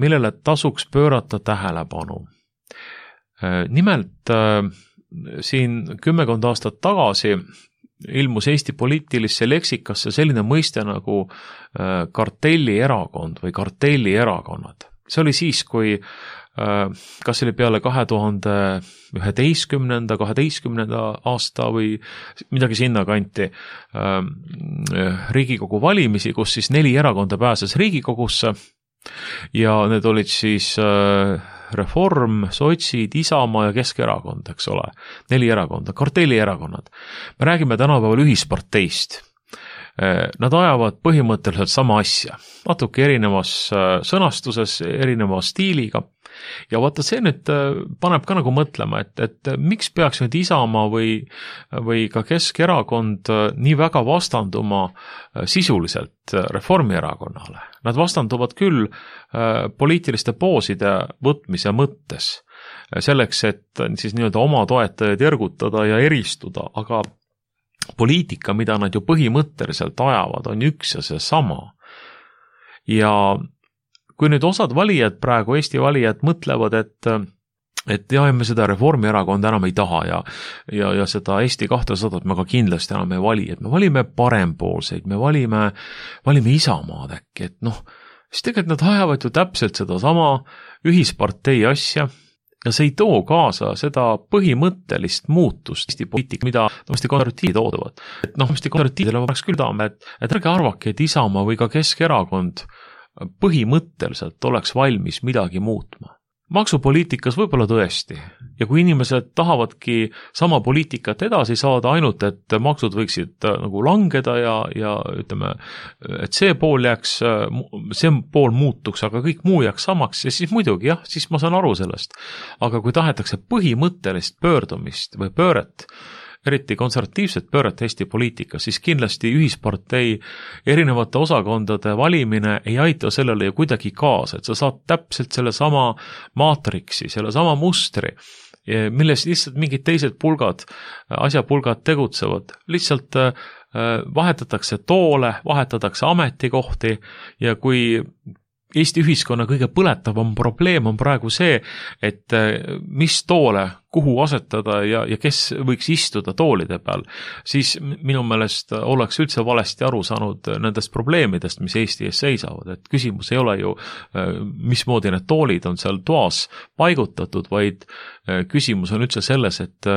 millele tasuks pöörata tähelepanu. Nimelt siin 10 aastat tagasi ilmus Eesti poliitilisse leksikasse selline mõiste nagu kartellierakond või kartellierakonnad. See oli siis, kui kas oli peale 2011. 12. aasta või midagi sinna kanti Riigikogu valimisi, kus siis 4 erakonda pääses Riigikogusse ja need olid siis Reform, Sotsid, Isamaa ja Keskerakond, eks ole. 4 erakonda, kartellierakonnad. Me räägime tänapäeval ühisparteist. Nad ajavad põhimõtteliselt sama asja, natuke erinevas sõnastuses, erineva stiiliga. Ja vaata see nüüd paneb ka nagu mõtlema, et miks peaks nüüd Isamaa või ka Keskerakond nii väga vastanduma sisuliselt Reformierakonnale. Nad vastanduvad küll poliitiliste pooside võtmise mõttes, selleks, et siis nii-öelda oma toetajaid ergutada ja eristuda, aga poliitika, mida nad ju põhimõtteliselt ajavad, on üks ja see sama. Ja kui nüüd osad valijad praegu, Eesti valijad mõtlevad, et me seda Reformierakonda enam ei taha ja seda Eesti 200 me ka kindlasti enam ei vali, et me valime parempoolseid, me valime Isamaad äkki, et siis tegelikult nad ajavad ju täpselt seda sama ühispartei asja ja see ei too kaasa seda põhimõttelist muutust Eesti poliitika, mida konservatiivid oodavad. Et konservatiividele oleks küll taame, et ärge arvake, et Isamaa või ka Keskerakond põhimõtteliselt oleks valmis midagi muutma. Maksupoliitikas võib-olla tõesti. Ja kui inimesed tahavadki sama poliitikat edasi saada ainult, et maksud võiksid nagu langeda ja ütleme, et see pool muutuks, aga kõik muu jääks samaks, ja siis muidugi jah, siis ma saan aru sellest. Aga kui tahetakse põhimõttelist pöördumist või pööret, eriti konservatiivset pööret Eesti poliitikas, siis kindlasti ühispartei erinevate osakondade valimine ei aita sellele ju kuidagi kaasa, et sa saad täpselt selle sama maatriksi, selle sama mustri, milles lihtsalt mingid teised asjapulgad tegutsevad, lihtsalt vahetatakse toole, vahetatakse ametikohti ja kui Eesti ühiskonna kõige põletavam probleem on praegu see, et mis toole, kuhu asetada ja kes võiks istuda toolide peal, siis minu meelest oleks üldse valesti aru saanud nendest probleemidest, mis Eesti ees seisavad. Et küsimus ei ole ju, mismoodi need toolid on seal toas paigutatud, vaid küsimus on üldse selles, et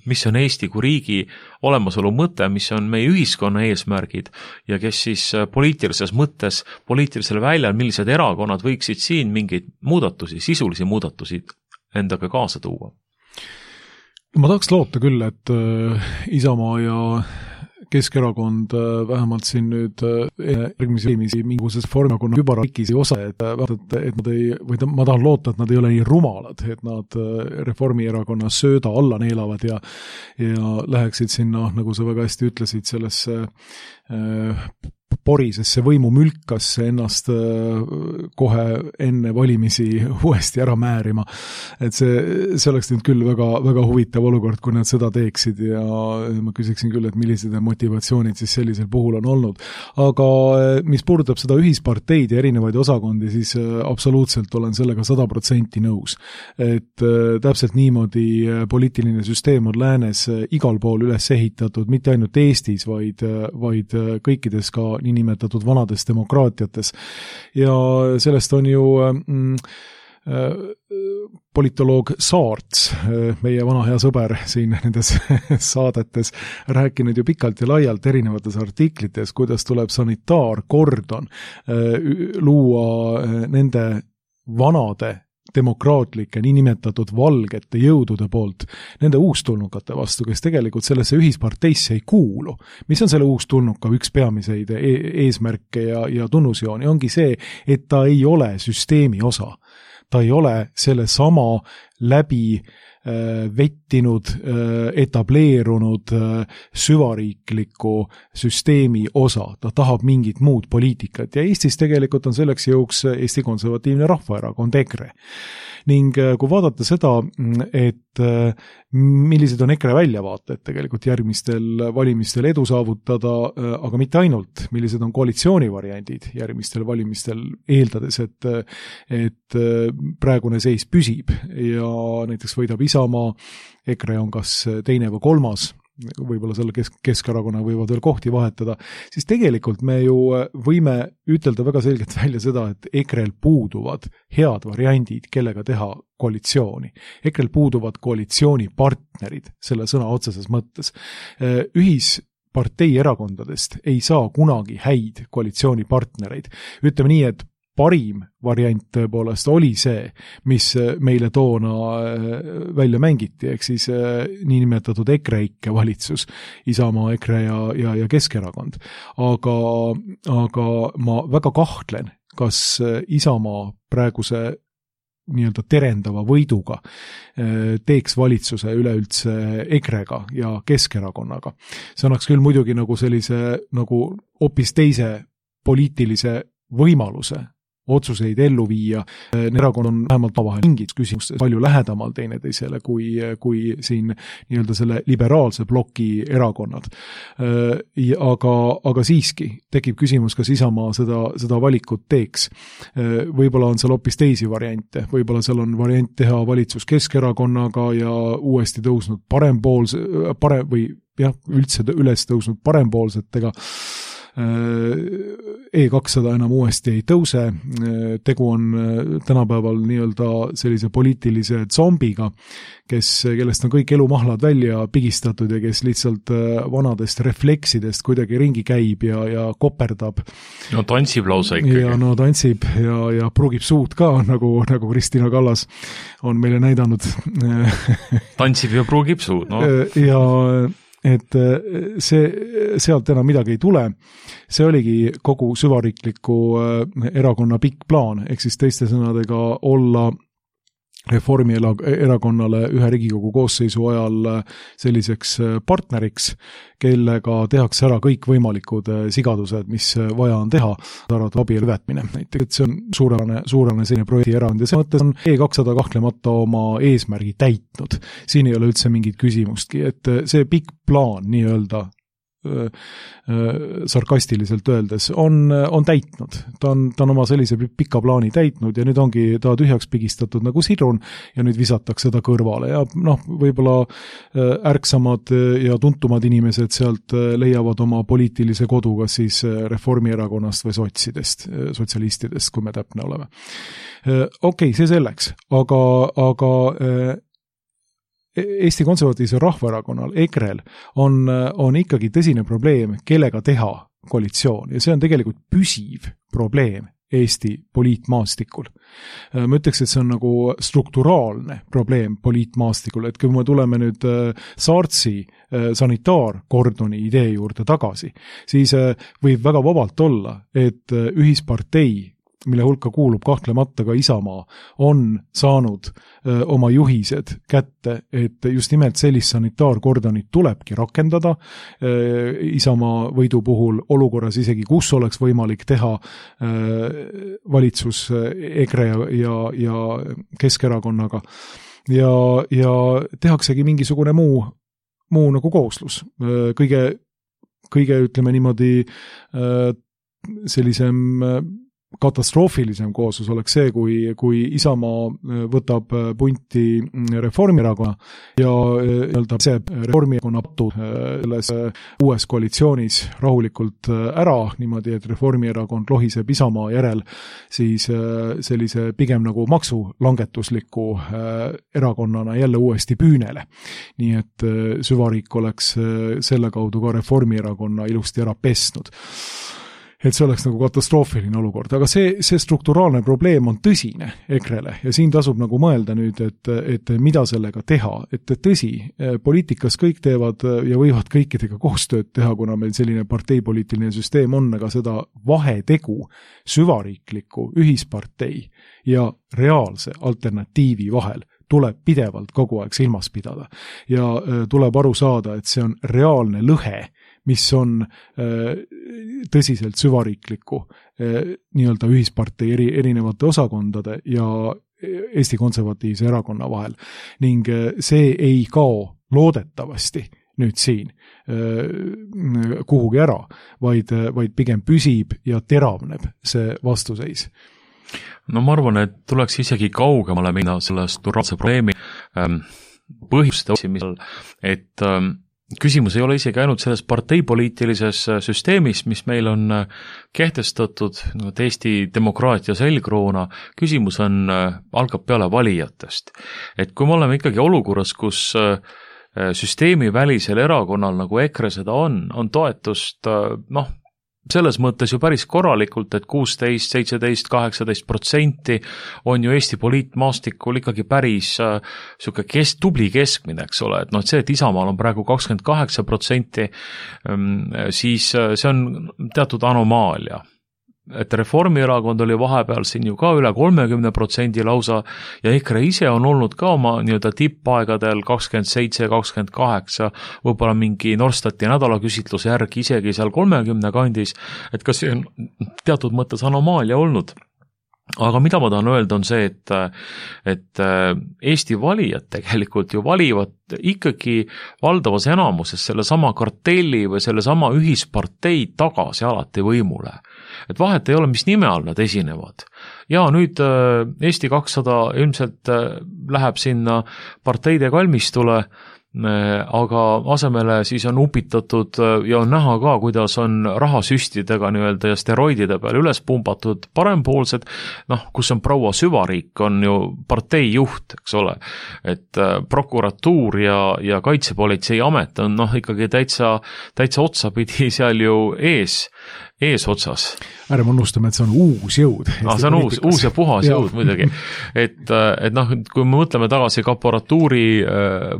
mis on Eesti kui riigi olemasolu mõte, mis on meie ühiskonna eesmärgid ja kes siis poliitilises mõttes, poliitilisel väljal, millised erakonnad võiksid siin mingeid muudatusi, sisulisi muudatusi endaga kaasa tuua. Ma tahaks loota küll, et Isamaa ja Keskerakond vähemalt siin nüüd järgmisi valimisi mingisuguses Reformierakonna kübararikis ei osa, et nad ei, või ma tahan loota, et nad ei ole nii rumalad, et nad Reformierakonna sööda alla neelavad ja läheksid sinna, nagu sa väga hästi ütlesid, sellesse porisesse võimumülkasse ennast kohe enne valimisi uuesti ära määrima. Et see oleks nüüd küll väga, väga huvitav olukord, kui nad seda teeksid ja ma küsiksin küll, et millised motivatsioonid siis sellisel puhul on olnud. Aga mis puudutab seda ühisparteid ja erinevaid osakondi, siis absoluutselt olen sellega 100% nõus. Et täpselt niimoodi poliitiline süsteem on läänes igal pool üles ehitatud, mitte ainult Eestis, vaid kõikides ka niinimetatud vanades demokraatiates. Ja sellest on ju politoloog Saarts, meie vana hea sõber siin nendes saadetes, rääkinud ju pikalt ja laialt erinevates artiklites, kuidas tuleb sanitaarkordon luua nende vanade demokraatlike, niinimetatud valgete jõudude poolt nende uustulnukate vastu, kes tegelikult sellesse ühisparteisse ei kuulu. Mis on selle uustulnuka üks peamiseid eesmärke ja tunnusjooni? Ongi see, et ta ei ole süsteemi osa. Ta ei ole selle sama läbi vettinud, etableerunud süvariikliku süsteemi osa. Ta tahab mingit muud poliitikat ja Eestis tegelikult on selleks jõuks Eesti Konservatiivne Rahvaerakond EKRE. Ning kui vaadata seda, et millised on EKRE väljavaated tegelikult järgmistel valimistel edu saavutada, aga mitte ainult, millised on koalitsioonivariandid järgmistel valimistel, eeldades, et praegune seis püsib ja näiteks võidab Isamaa, EKRE on kas teine või kolmas, võib-olla selle Keskerakonna võivad veel kohti vahetada, siis tegelikult me ju võime ütelda väga selgelt välja seda, et EKRE-l puuduvad head variandid, kellega teha koalitsiooni. EKRE-l puuduvad koalitsioonipartnerid selle sõna otseses mõttes. Ühispartei erakondadest ei saa kunagi häid koalitsioonipartnereid. Ütleme nii, et parim variant tõepoolest oli see, mis meile toona välja mängiti, ehk siis niinimetatud EKRE-ikke valitsus, Isamaa, EKRE ja Keskerakond. Aga ma väga kahtlen, kas Isamaa praeguse nii-öelda terendava võiduga teeks valitsuse üleüldse EKRE-ga ja Keskerakonnaga. See annaks küll muidugi nagu sellise nagu hoopis teise poliitilise võimaluse otsuseid ellu viia. Erakond on vähemalt vahel mingid küsimustes palju lähedamal teineteisele kui siin nii-öelda selle liberaalse ploki erakonnad. Aga siiski tekib küsimus, kas Isamaa seda valikut teeks. Võib-olla on seal hoopis teisi variante. Võib-olla seal on variant teha valitsus Keskerakonnaga ja uuesti tõusnud üldse üles tõusnud parempoolsetega. E200 enam uuesti ei tõuse, tegu on tänapäeval nii-öelda sellise poliitilise zombiga, kellest on kõik elumahlad välja pigistatud ja kes lihtsalt vanadest refleksidest kuidagi ringi käib ja koperdab. No tantsib lausa ikkagi. Ja no tantsib ja prugib suud ka, nagu Kristina Kallas on meile näidanud. Tantsib ja prugib suud, no. Ja et sealt enam midagi ei tule. See oligi kogu süvariikliku erakonna pikk plaan, ehk siis teiste sõnadega olla Reformierakonnale ühe Riigikogu koosseisu ajal selliseks partneriks, kellega tehakse ära kõik võimalikud sigadused, mis vaja on teha, arvata abielu võtmine. Näiteks see on suurene selline projekti erakond ja see mõttes on E200 kahtlemata oma eesmärgi täitnud. Siin ei ole üldse mingit küsimustki, et see pikk plaan nii-öelda sarkastiliselt öeldes on täitnud. Ta on oma sellise pika plaani täitnud ja nüüd ongi ta tühjaks pigistatud nagu sidrun ja nüüd visatakse ta kõrvale ja võib-olla ärksamad ja tuntumad inimesed sealt leiavad oma poliitilise kodu kas siis Reformierakonnast või sotsialistidest, kui me täpne oleme. Okei, see selleks, aga Eesti Konservatiivsel Rahvaerakonnal, EKRE-l, on ikkagi tõsine probleem, kellega teha koalitsioon ja see on tegelikult püsiv probleem Eesti poliitmaastikul. Ma ütleks, et see on nagu strukturaalne probleem poliitmaastikul, et kui me tuleme nüüd Saartsi sanitaarkordoni idee juurde tagasi, siis võib väga vabalt olla, et ühispartei mille hulka kuulub kahtlemata ka Isamaa, on saanud oma juhised kätte, et just nimelt sellist sanitaarkordonit tulebki rakendada Isamaa võidu puhul olukorras isegi, kus oleks võimalik teha valitsus EKRE ja Keskerakonnaga ja tehaksegi mingisugune muu nagu kooslus. Kõige ütleme niimoodi sellisem katastroofilisem kooslus oleks see, kui Isamaa võtab punti Reformierakonna ja see Reformierakonna selles uues koalitsioonis rahulikult ära, niimoodi, et Reformierakond lohiseb Isamaa järel siis sellise pigem nagu maksulangetusliku erakonnana jälle uuesti püünele. Nii et süvariik oleks selle kaudu ka Reformierakonna ilusti ära pesnud. Et see oleks nagu katastroofiline olukord, aga see strukturaalne probleem on tõsine EKRE-le ja siin tasub nagu mõelda nüüd, et mida sellega teha, et tõsi, poliitikas kõik teevad ja võivad kõikidega koostööd teha, kuna meil selline parteipoliitiline süsteem on, aga seda vahetegu süvariikliku ühispartei ja reaalse alternatiivi vahel tuleb pidevalt kogu aeg silmas pidada ja tuleb aru saada, et see on reaalne lõhe, mis on tõsiselt süvariikliku nii-öelda ühispartei erinevate osakondade ja Eesti Konservatiivse erakonna vahel. Ning see ei kao loodetavasti nüüd siin kuhugi ära, vaid pigem püsib ja teravneb see vastuseis. No ma arvan, et tuleks isegi kaugemale minna selle strukturaalse probleemi põhjuste otsimisel, et küsimus ei ole isegi ainult selles parteipoliitilises süsteemis, mis meil on kehtestatud Eesti demokraatia selgroona, küsimus algab peale valijatest. Et kui me oleme ikkagi olukorras, kus süsteemi välisel erakonnal nagu EKRE seda on toetust, selles mõttes ju päris korralikult, et 16, 17, 18% on ju Eesti poliitmaastikul ikkagi päris tubli keskmine, eks ole, et see, et Isamaal on praegu 28%, siis see on teatud anomaalia. Et Reformierakond oli vahepeal siin ju ka üle 30% lausa ja EKRE ise on olnud ka oma nii-öelda tippaegadel 27, 28, võib-olla mingi Norstati nädalaküsitluse järgi isegi seal 30 kandis, et kas see on teatud mõttes anomaalia olnud. Aga mida ma tahan öelda on see, et Eesti valijad tegelikult ju valivad ikkagi valdavas enamuses selle sama kartelli või selle sama ühispartei tagasi alati võimule. Et vahet ei ole, mis nime all nad esinevad. Ja nüüd Eesti 200 ilmselt läheb sinna parteide kalmistule, aga asemele siis on upitatud ja on näha ka, kuidas on rahasüstidega nii-öelda ja steroidide peal üles pumbatud parempoolsed, kus on proua süvariik, on ju parteijuht, eks ole, et prokuratuur ja kaitsepolitsei amet on ikkagi täitsa otsapidi seal ju eesotsas. Ärme unustame, et see on uus jõud. See on uus ja puhas jõud muidugi. Et kui me mõtleme tagasi kaporatuuri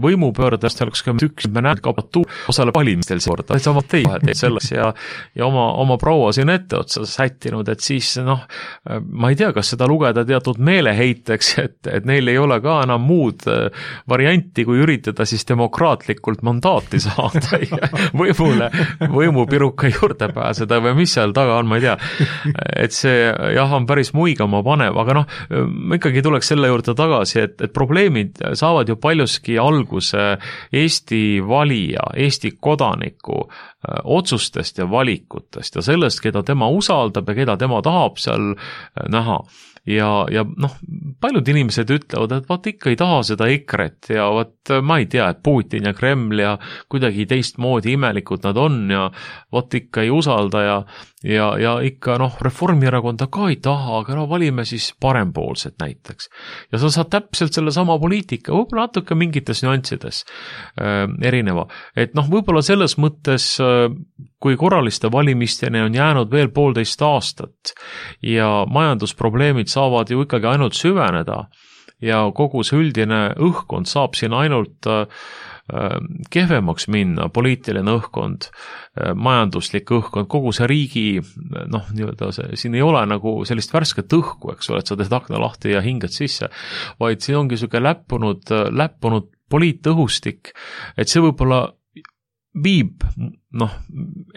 võimupöördest, me näeme kaporatuur osaleb valimistel seekord, täitsa partei selles ja oma proua siin ette otsa sättinud, et siis ma ei tea, kas seda lugeda teatud meeleheiteks, et neil ei ole ka enam muud varianti, kui üritada siis demokraatlikult mandaati saada ja võimupiruka juurde pääseda või mis seal taga on, ma ei tea. Et see on päris muigama panev, aga ikkagi tuleks selle juurde tagasi, et probleemid saavad ju paljuski alguse Eesti valija, Eesti kodaniku otsustest ja valikutest ja sellest, keda tema usaldab ja keda tema tahab seal näha. Ja paljud inimesed ütlevad, et vaat ikka ei taha seda EKRE-t ja vaat ma ei tea, et Putin ja Kreml ja kuidagi teistmoodi imelikud nad on ja vaat ikka ei usalda ja ikka Reformierakonda ka ei taha, aga valime siis parempoolset näiteks. Ja sa saad täpselt selle sama poliitika, võib-olla natuke mingites nüanssides erineva. Et võib-olla selles mõttes, kui korraliste valimisteni on jäänud veel 1,5 aastat ja majandusprobleemid saavad ju ikkagi ainult süveneda ja kogu see üldine õhkkond saab siin ainult kehvemaks minna, poliitiline õhkkond, majanduslik õhkkond, kogu see riigi, nii-öelda siin ei ole nagu sellist värsket õhku, eks ole, et sa teed akna lahti ja hingad sisse, vaid siin ongi selline läppunud poliitõhustik, et see võib-olla viib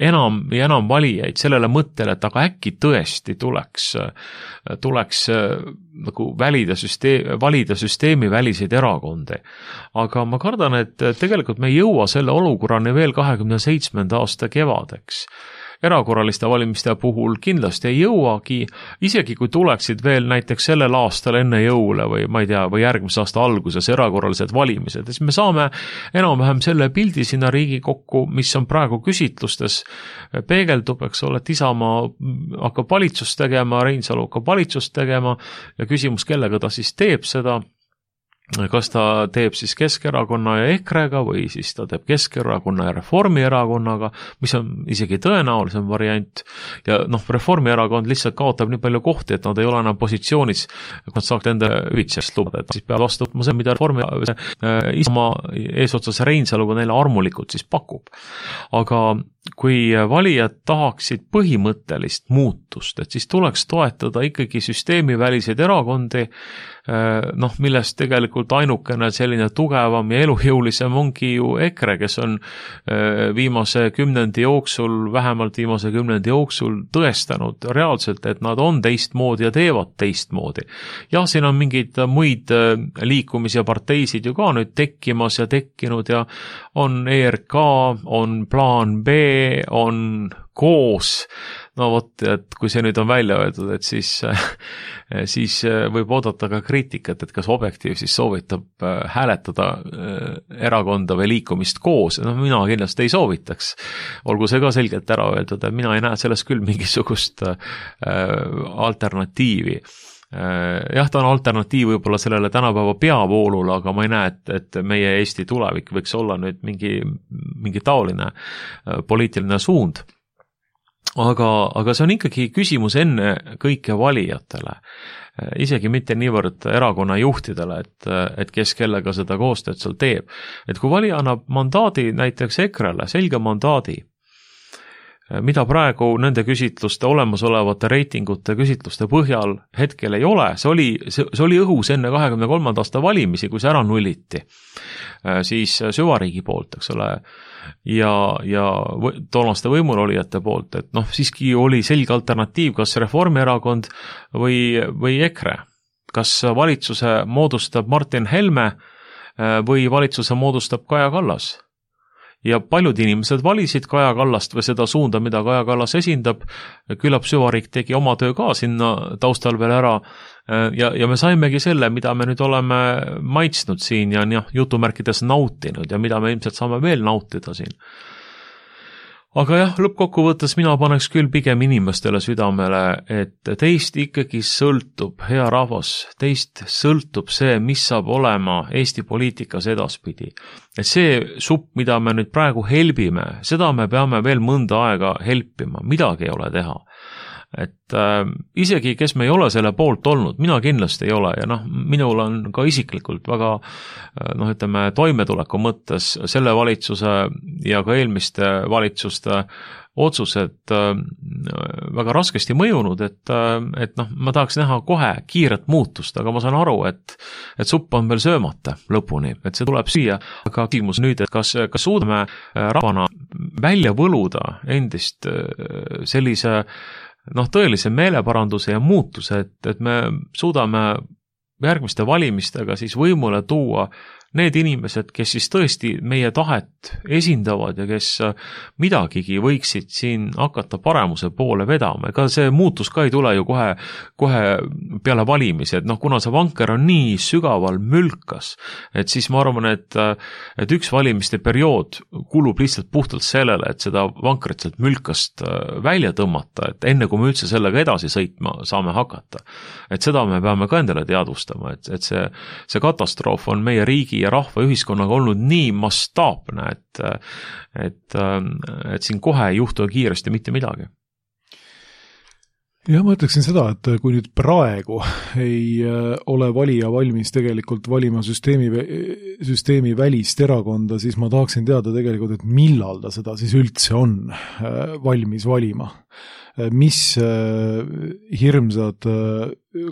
enam ja enam valijaid sellele mõttele, et aga äkki tõesti tuleks nagu valida süsteemi väliseid erakondi. Aga ma kardan, et tegelikult me ei jõua selle olukorrani veel 27. aasta kevadeks. Erakorraliste valimiste puhul kindlasti ei jõuagi, isegi kui tuleksid veel näiteks sellel aastal enne jõule või ma ei tea, või järgmise aasta alguses erakorralised valimised, siis me saame enam-vähem selle pildi sinna Riigikokku, mis on praegu küsitlustes, peegeldub, eks ole, et Isamaa hakkab valitsust tegema, Reinsalu hakkab valitsust tegema ja küsimus, kellega ta siis teeb seda, kas ta teeb siis Keskerakonna ja EKRE-ga või siis ta teeb Keskerakonna ja Reformierakonnaga, mis on isegi tõenäolisem variant ja Reformierakond lihtsalt kaotab nii palju kohti, et nad ei ole enam positsioonis, et nad saaks enda hüvitsest lubada, et siis peab vastu võtma see, mida Isamaa eesotsas Reinsaluga neile armulikult siis pakub. Aga kui valijad tahaksid põhimõttelist muutust, et siis tuleks toetada ikkagi süsteemiväliseid erakondi, millest tegelikult ainukene selline tugevam ja elujõulisem ongi ju EKRE, kes on viimase kümnendi jooksul tõestanud reaalselt, et nad on teistmoodi ja teevad teistmoodi. Ja siin on mingeid muid liikumisi ja parteisid ju ka nüüd tekkimas ja tekkinud ja on ERK, on plaan B, on koos, et kui see nüüd on välja öeldud, et siis võib oodata ka kriitikat, et kas Objektiiv siis soovitab hääletada erakonda või liikumist koos, mina kindlasti ei soovitaks, olgu see ka selgelt ära öeldud, et mina ei näe selles küll mingisugust alternatiivi. Jah, ta on alternatiiv võib-olla sellele tänapäeva peavoolule, aga ma ei näe, et meie Eesti tulevik võiks olla nüüd mingi taoline poliitiline suund. Aga see on ikkagi küsimus enne kõike valijatele, isegi mitte niivõrd erakonna juhtidele, et kes kellega seda koostööd seal teeb. Et kui valija annab mandaadi näiteks EKRE-le, selge mandaadi, mida praegu nende küsitluste, olemasolevate reitingute küsitluste põhjal hetkel ei ole, see oli õhus enne 23. aasta valimisi, kui see ära nulliti, siis süvariigi poolt, eks ole, ja toonaste võimulolijate poolt, et siiski oli selge alternatiiv, kas Reformierakond või EKRE, kas valitsuse moodustab Martin Helme või valitsuse moodustab Kaja Kallas. Ja paljud inimesed valisid Kaja Kallast või seda suunda, mida Kaja Kallas esindab, küllap süvariik tegi oma töö ka sinna taustal veel ära ja me saimegi selle, mida me nüüd oleme maitsnud siin ja jutumärkides nautinud ja mida me ilmselt saame veel nautida siin. Aga jah, lõppkokkuvõttes mina paneks küll pigem inimestele südamele, et teist ikkagi sõltub, hea rahvas, teist sõltub see, mis saab olema Eesti poliitikas edaspidi. Et see supp, mida me nüüd praegu helbime, seda me peame veel mõnda aega helpima, midagi ei ole teha. Et isegi, kes me ei ole selle poolt olnud, mina kindlasti ei ole ja minul on ka isiklikult väga toimetuleku mõttes selle valitsuse ja ka eelmiste valitsuste otsused väga raskesti mõjunud, et ma tahaks näha kohe kiiret muutust, aga ma saan aru, et supp on veel söömata lõpuni, et see tuleb siia, aga küsimus nüüd, et kas suudame rahvana välja võluda endist sellise tõelise meeleparanduse ja muutuse, et me suudame järgmiste valimistega siis võimule tuua need inimesed, kes siis tõesti meie tahet esindavad ja kes midagigi võiksid siin hakata paremuse poole vedama. Ega see muutus ka ei tule ju kohe peale valimisi, et kuna see vanker on nii sügaval mülkas, et siis ma arvan, et üks valimiste periood kulub lihtsalt puhtalt sellele, et seda vankrit sealt mülkast välja tõmmata, et enne kui me üldse sellega edasi sõitma saame hakata. Et seda me peame ka endale teadvustama, et see katastroof on meie riigi ja rahva ühiskonnaga olnud nii mastaapne, et siin kohe ei juhtu kiiresti mitte midagi. Ja ma ütleksin seda, et kui nüüd praegu ei ole valija valmis tegelikult valima süsteemi välist erakonda, siis ma tahaksin teada tegelikult, et millal ta seda siis üldse on valmis valima. Mis hirmsad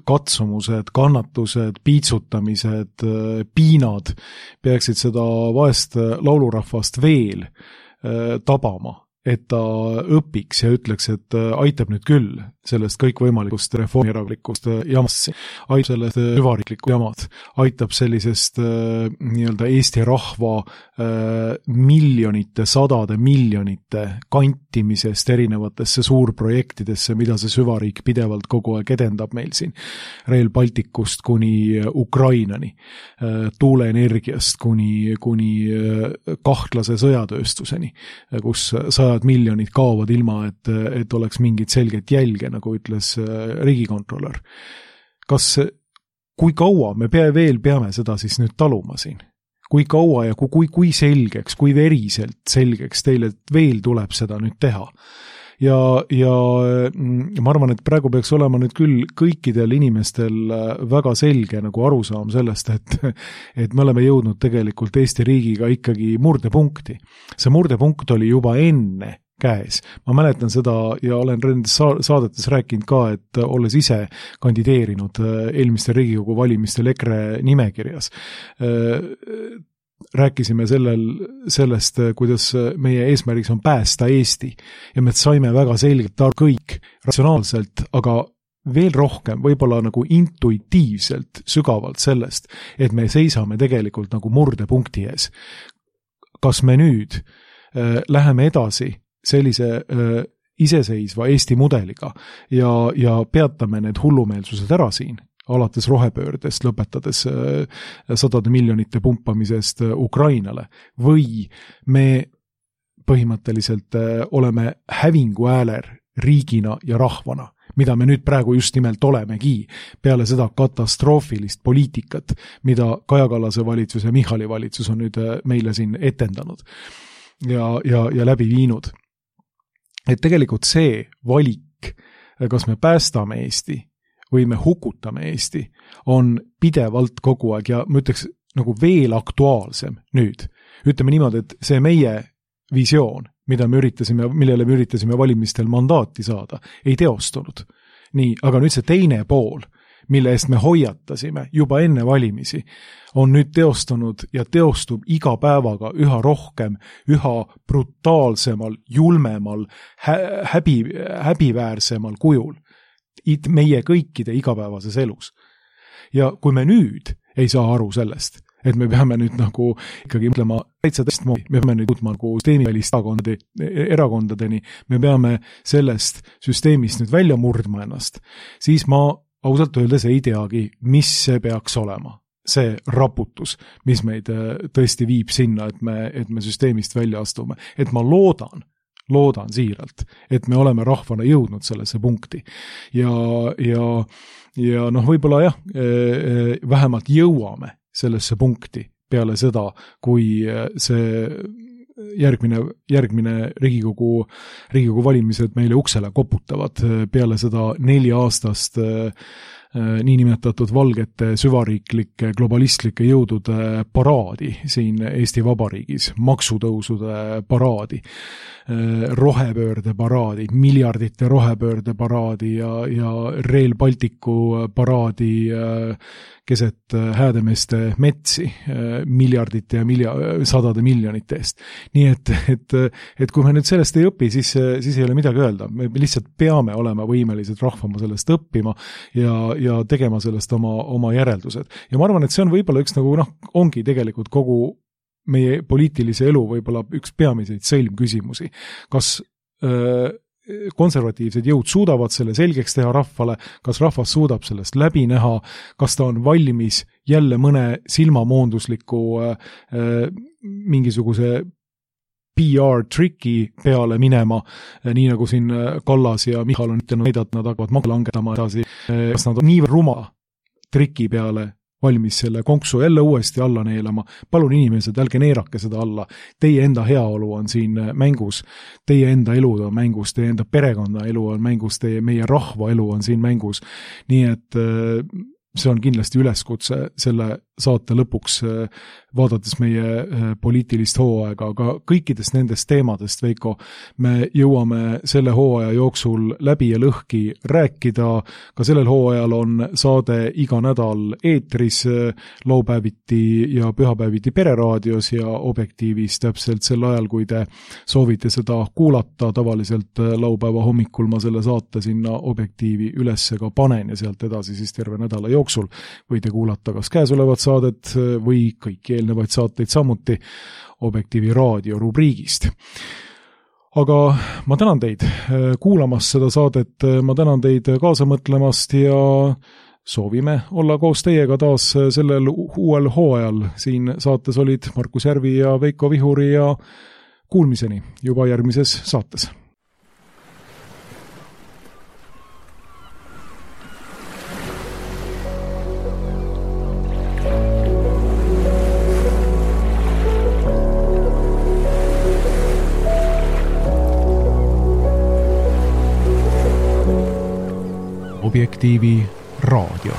katsumused, kannatused, piitsutamised, piinad peaksid seda vaest laulurahvast veel tabama, et ta õpiks ja ütleks, et aitab nüüd küll sellest kõikvõimalikust reformieraklikust jamast, aitab sellest süvariiklikku jamad, aitab sellisest nii-öelda Eesti rahva miljonite, sadade miljonite kantimisest erinevatesse suurprojektidesse, mida see süvariik pidevalt kogu aeg edendab meil siin. Rail Balticust kuni Ukrainani, tuuleenergiast kuni kahtlase sõjatööstuseni, kus 100 miljonid kaovad ilma, et oleks mingit selget jälge, nagu ütles riigikontrolör. Kui kaua me veel peame seda siis nüüd taluma siin? Kui kaua ja kui selgeks, kui veriselt selgeks teile veel tuleb seda nüüd teha? Ja ma arvan, et praegu peaks olema nüüd küll kõikidel inimestel väga selge nagu arusaam sellest, et me oleme jõudnud tegelikult Eesti riigiga ikkagi murdepunkti. See murdepunkt oli juba enne käes. Ma mäletan seda ja olen saadetes rääkinud ka, et olles ise kandideerinud eelmistel Riigikogu valimistel EKRE nimekirjas. Rääkisime sellest, kuidas meie eesmärgiks on päästa Eesti ja me saime väga selgelt kõik ratsionaalselt, aga veel rohkem, võib-olla nagu intuitiivselt sügavalt sellest, et me seisame tegelikult nagu murdepunkti ees. Kas me nüüd läheme edasi sellise iseseisva Eesti mudeliga ja peatame need hullumeelsused ära siin, alates rohepöördest, lõpetades 100 miljonite pumpamisest Ukrainale, või me põhimõtteliselt oleme hävingu ääler riigina ja rahvana, mida me nüüd praegu just nimelt olemegi, peale seda katastroofilist poliitikat, mida Kaja Kallase valitsus ja Michali valitsus on nüüd meile siin etendanud ja läbi viinud. Et tegelikult see valik, kas me päästame Eesti või me hukutame Eesti, on pidevalt kogu aeg ja ma ütleks nagu veel aktuaalsem nüüd. Ütleme niimoodi, et see meie visioon, millele me üritasime valimistel mandaati saada, ei teostunud. Nii, aga nüüd see teine pool, mille eest me hoiatasime juba enne valimisi, on nüüd teostunud ja teostub iga päevaga üha rohkem, üha brutaalsemal, julmemal, häbiväärsemal kujul meie kõikide igapäevases elus. Ja kui me nüüd ei saa aru sellest, et me peame nüüd nagu ikkagi mõtlema täitsa teistmoodi, me peame nüüd jõudma nagu süsteemivälist erakondadeni, me peame sellest süsteemist nüüd välja murdma ennast, siis ma ausalt öeldes ei teagi, mis see peaks olema. See raputus, mis meid tõesti viib sinna, et me süsteemist välja astume. Et ma loodan siiralt, et me oleme rahvana jõudnud sellesse punkti. Ja noh, võib-olla jah, vähemalt jõuame sellesse punkti peale seda, kui see järgmine Riigikogu valimised meile uksele koputavad peale seda 4-aastast niinimetatud valgete süvariiklike globalistlikke jõudude paraadi siin Eesti Vabariigis, maksutõusude paraadi, rohepöörde paraadi, miljardite rohepöörde paraadi ja Rail Balticu paraadi keset häädemeeste metsi miljardite ja sadade miljonite eest. Nii et kui me nüüd sellest ei õpi, siis ei ole midagi öelda. Me lihtsalt peame olema võimelised rahvama sellest õppima ja tegema sellest oma järeldused. Ja ma arvan, et see on võib-olla üks nagu ongi tegelikult kogu meie poliitilise elu võib-olla üks peamiseid sõlmküsimusi. Kas konservatiivsed jõud suudavad selle selgeks teha rahvale, kas rahvas suudab sellest läbi näha, kas ta on valmis jälle mõne silmamoondusliku mingisuguse PR-triki peale minema, nii nagu siin Kallas ja Michal on ütelnud, nad hakkavad makse langetama edasi, kas nad on nii ruma triki peale valmis selle konksu jälle uuesti alla neelama. Palun inimesed, älge neerake seda alla. Teie enda heaolu on siin mängus, teie enda elud on mängus, teie enda perekonna elu on mängus, meie rahva elu on siin mängus. Nii et see on kindlasti üleskutse selle saate lõpuks, vaadates meie poliitilist hooaega, aga kõikidest nendest teemadest, Veiko, me jõuame selle hooaja jooksul läbi ja lõhki rääkida. Ka sellel hooajal on saade iga nädal eetris, laupäeviti ja pühapäeviti Pereraadios ja Objektiivis täpselt sel ajal, kui te soovite seda kuulata. Tavaliselt laupäeva hommikul ma selle saate sinna Objektiivi ülesse ka panen ja sealt edasi siis terve nädala jooksul võite kuulata kas käesolevat saadet või kõiki eelnevaid saateid samuti Objektiivi raadio rubriigist. Aga ma tänan teid kuulamast seda saadet, ma tänan teid kaasa mõtlemast ja soovime olla koos teiega taas sellel uuel hooajal. Siin saates olid Markus Järvi ja Veiko Vihuri ja kuulmiseni juba järgmises saates. Objektiivi raadio.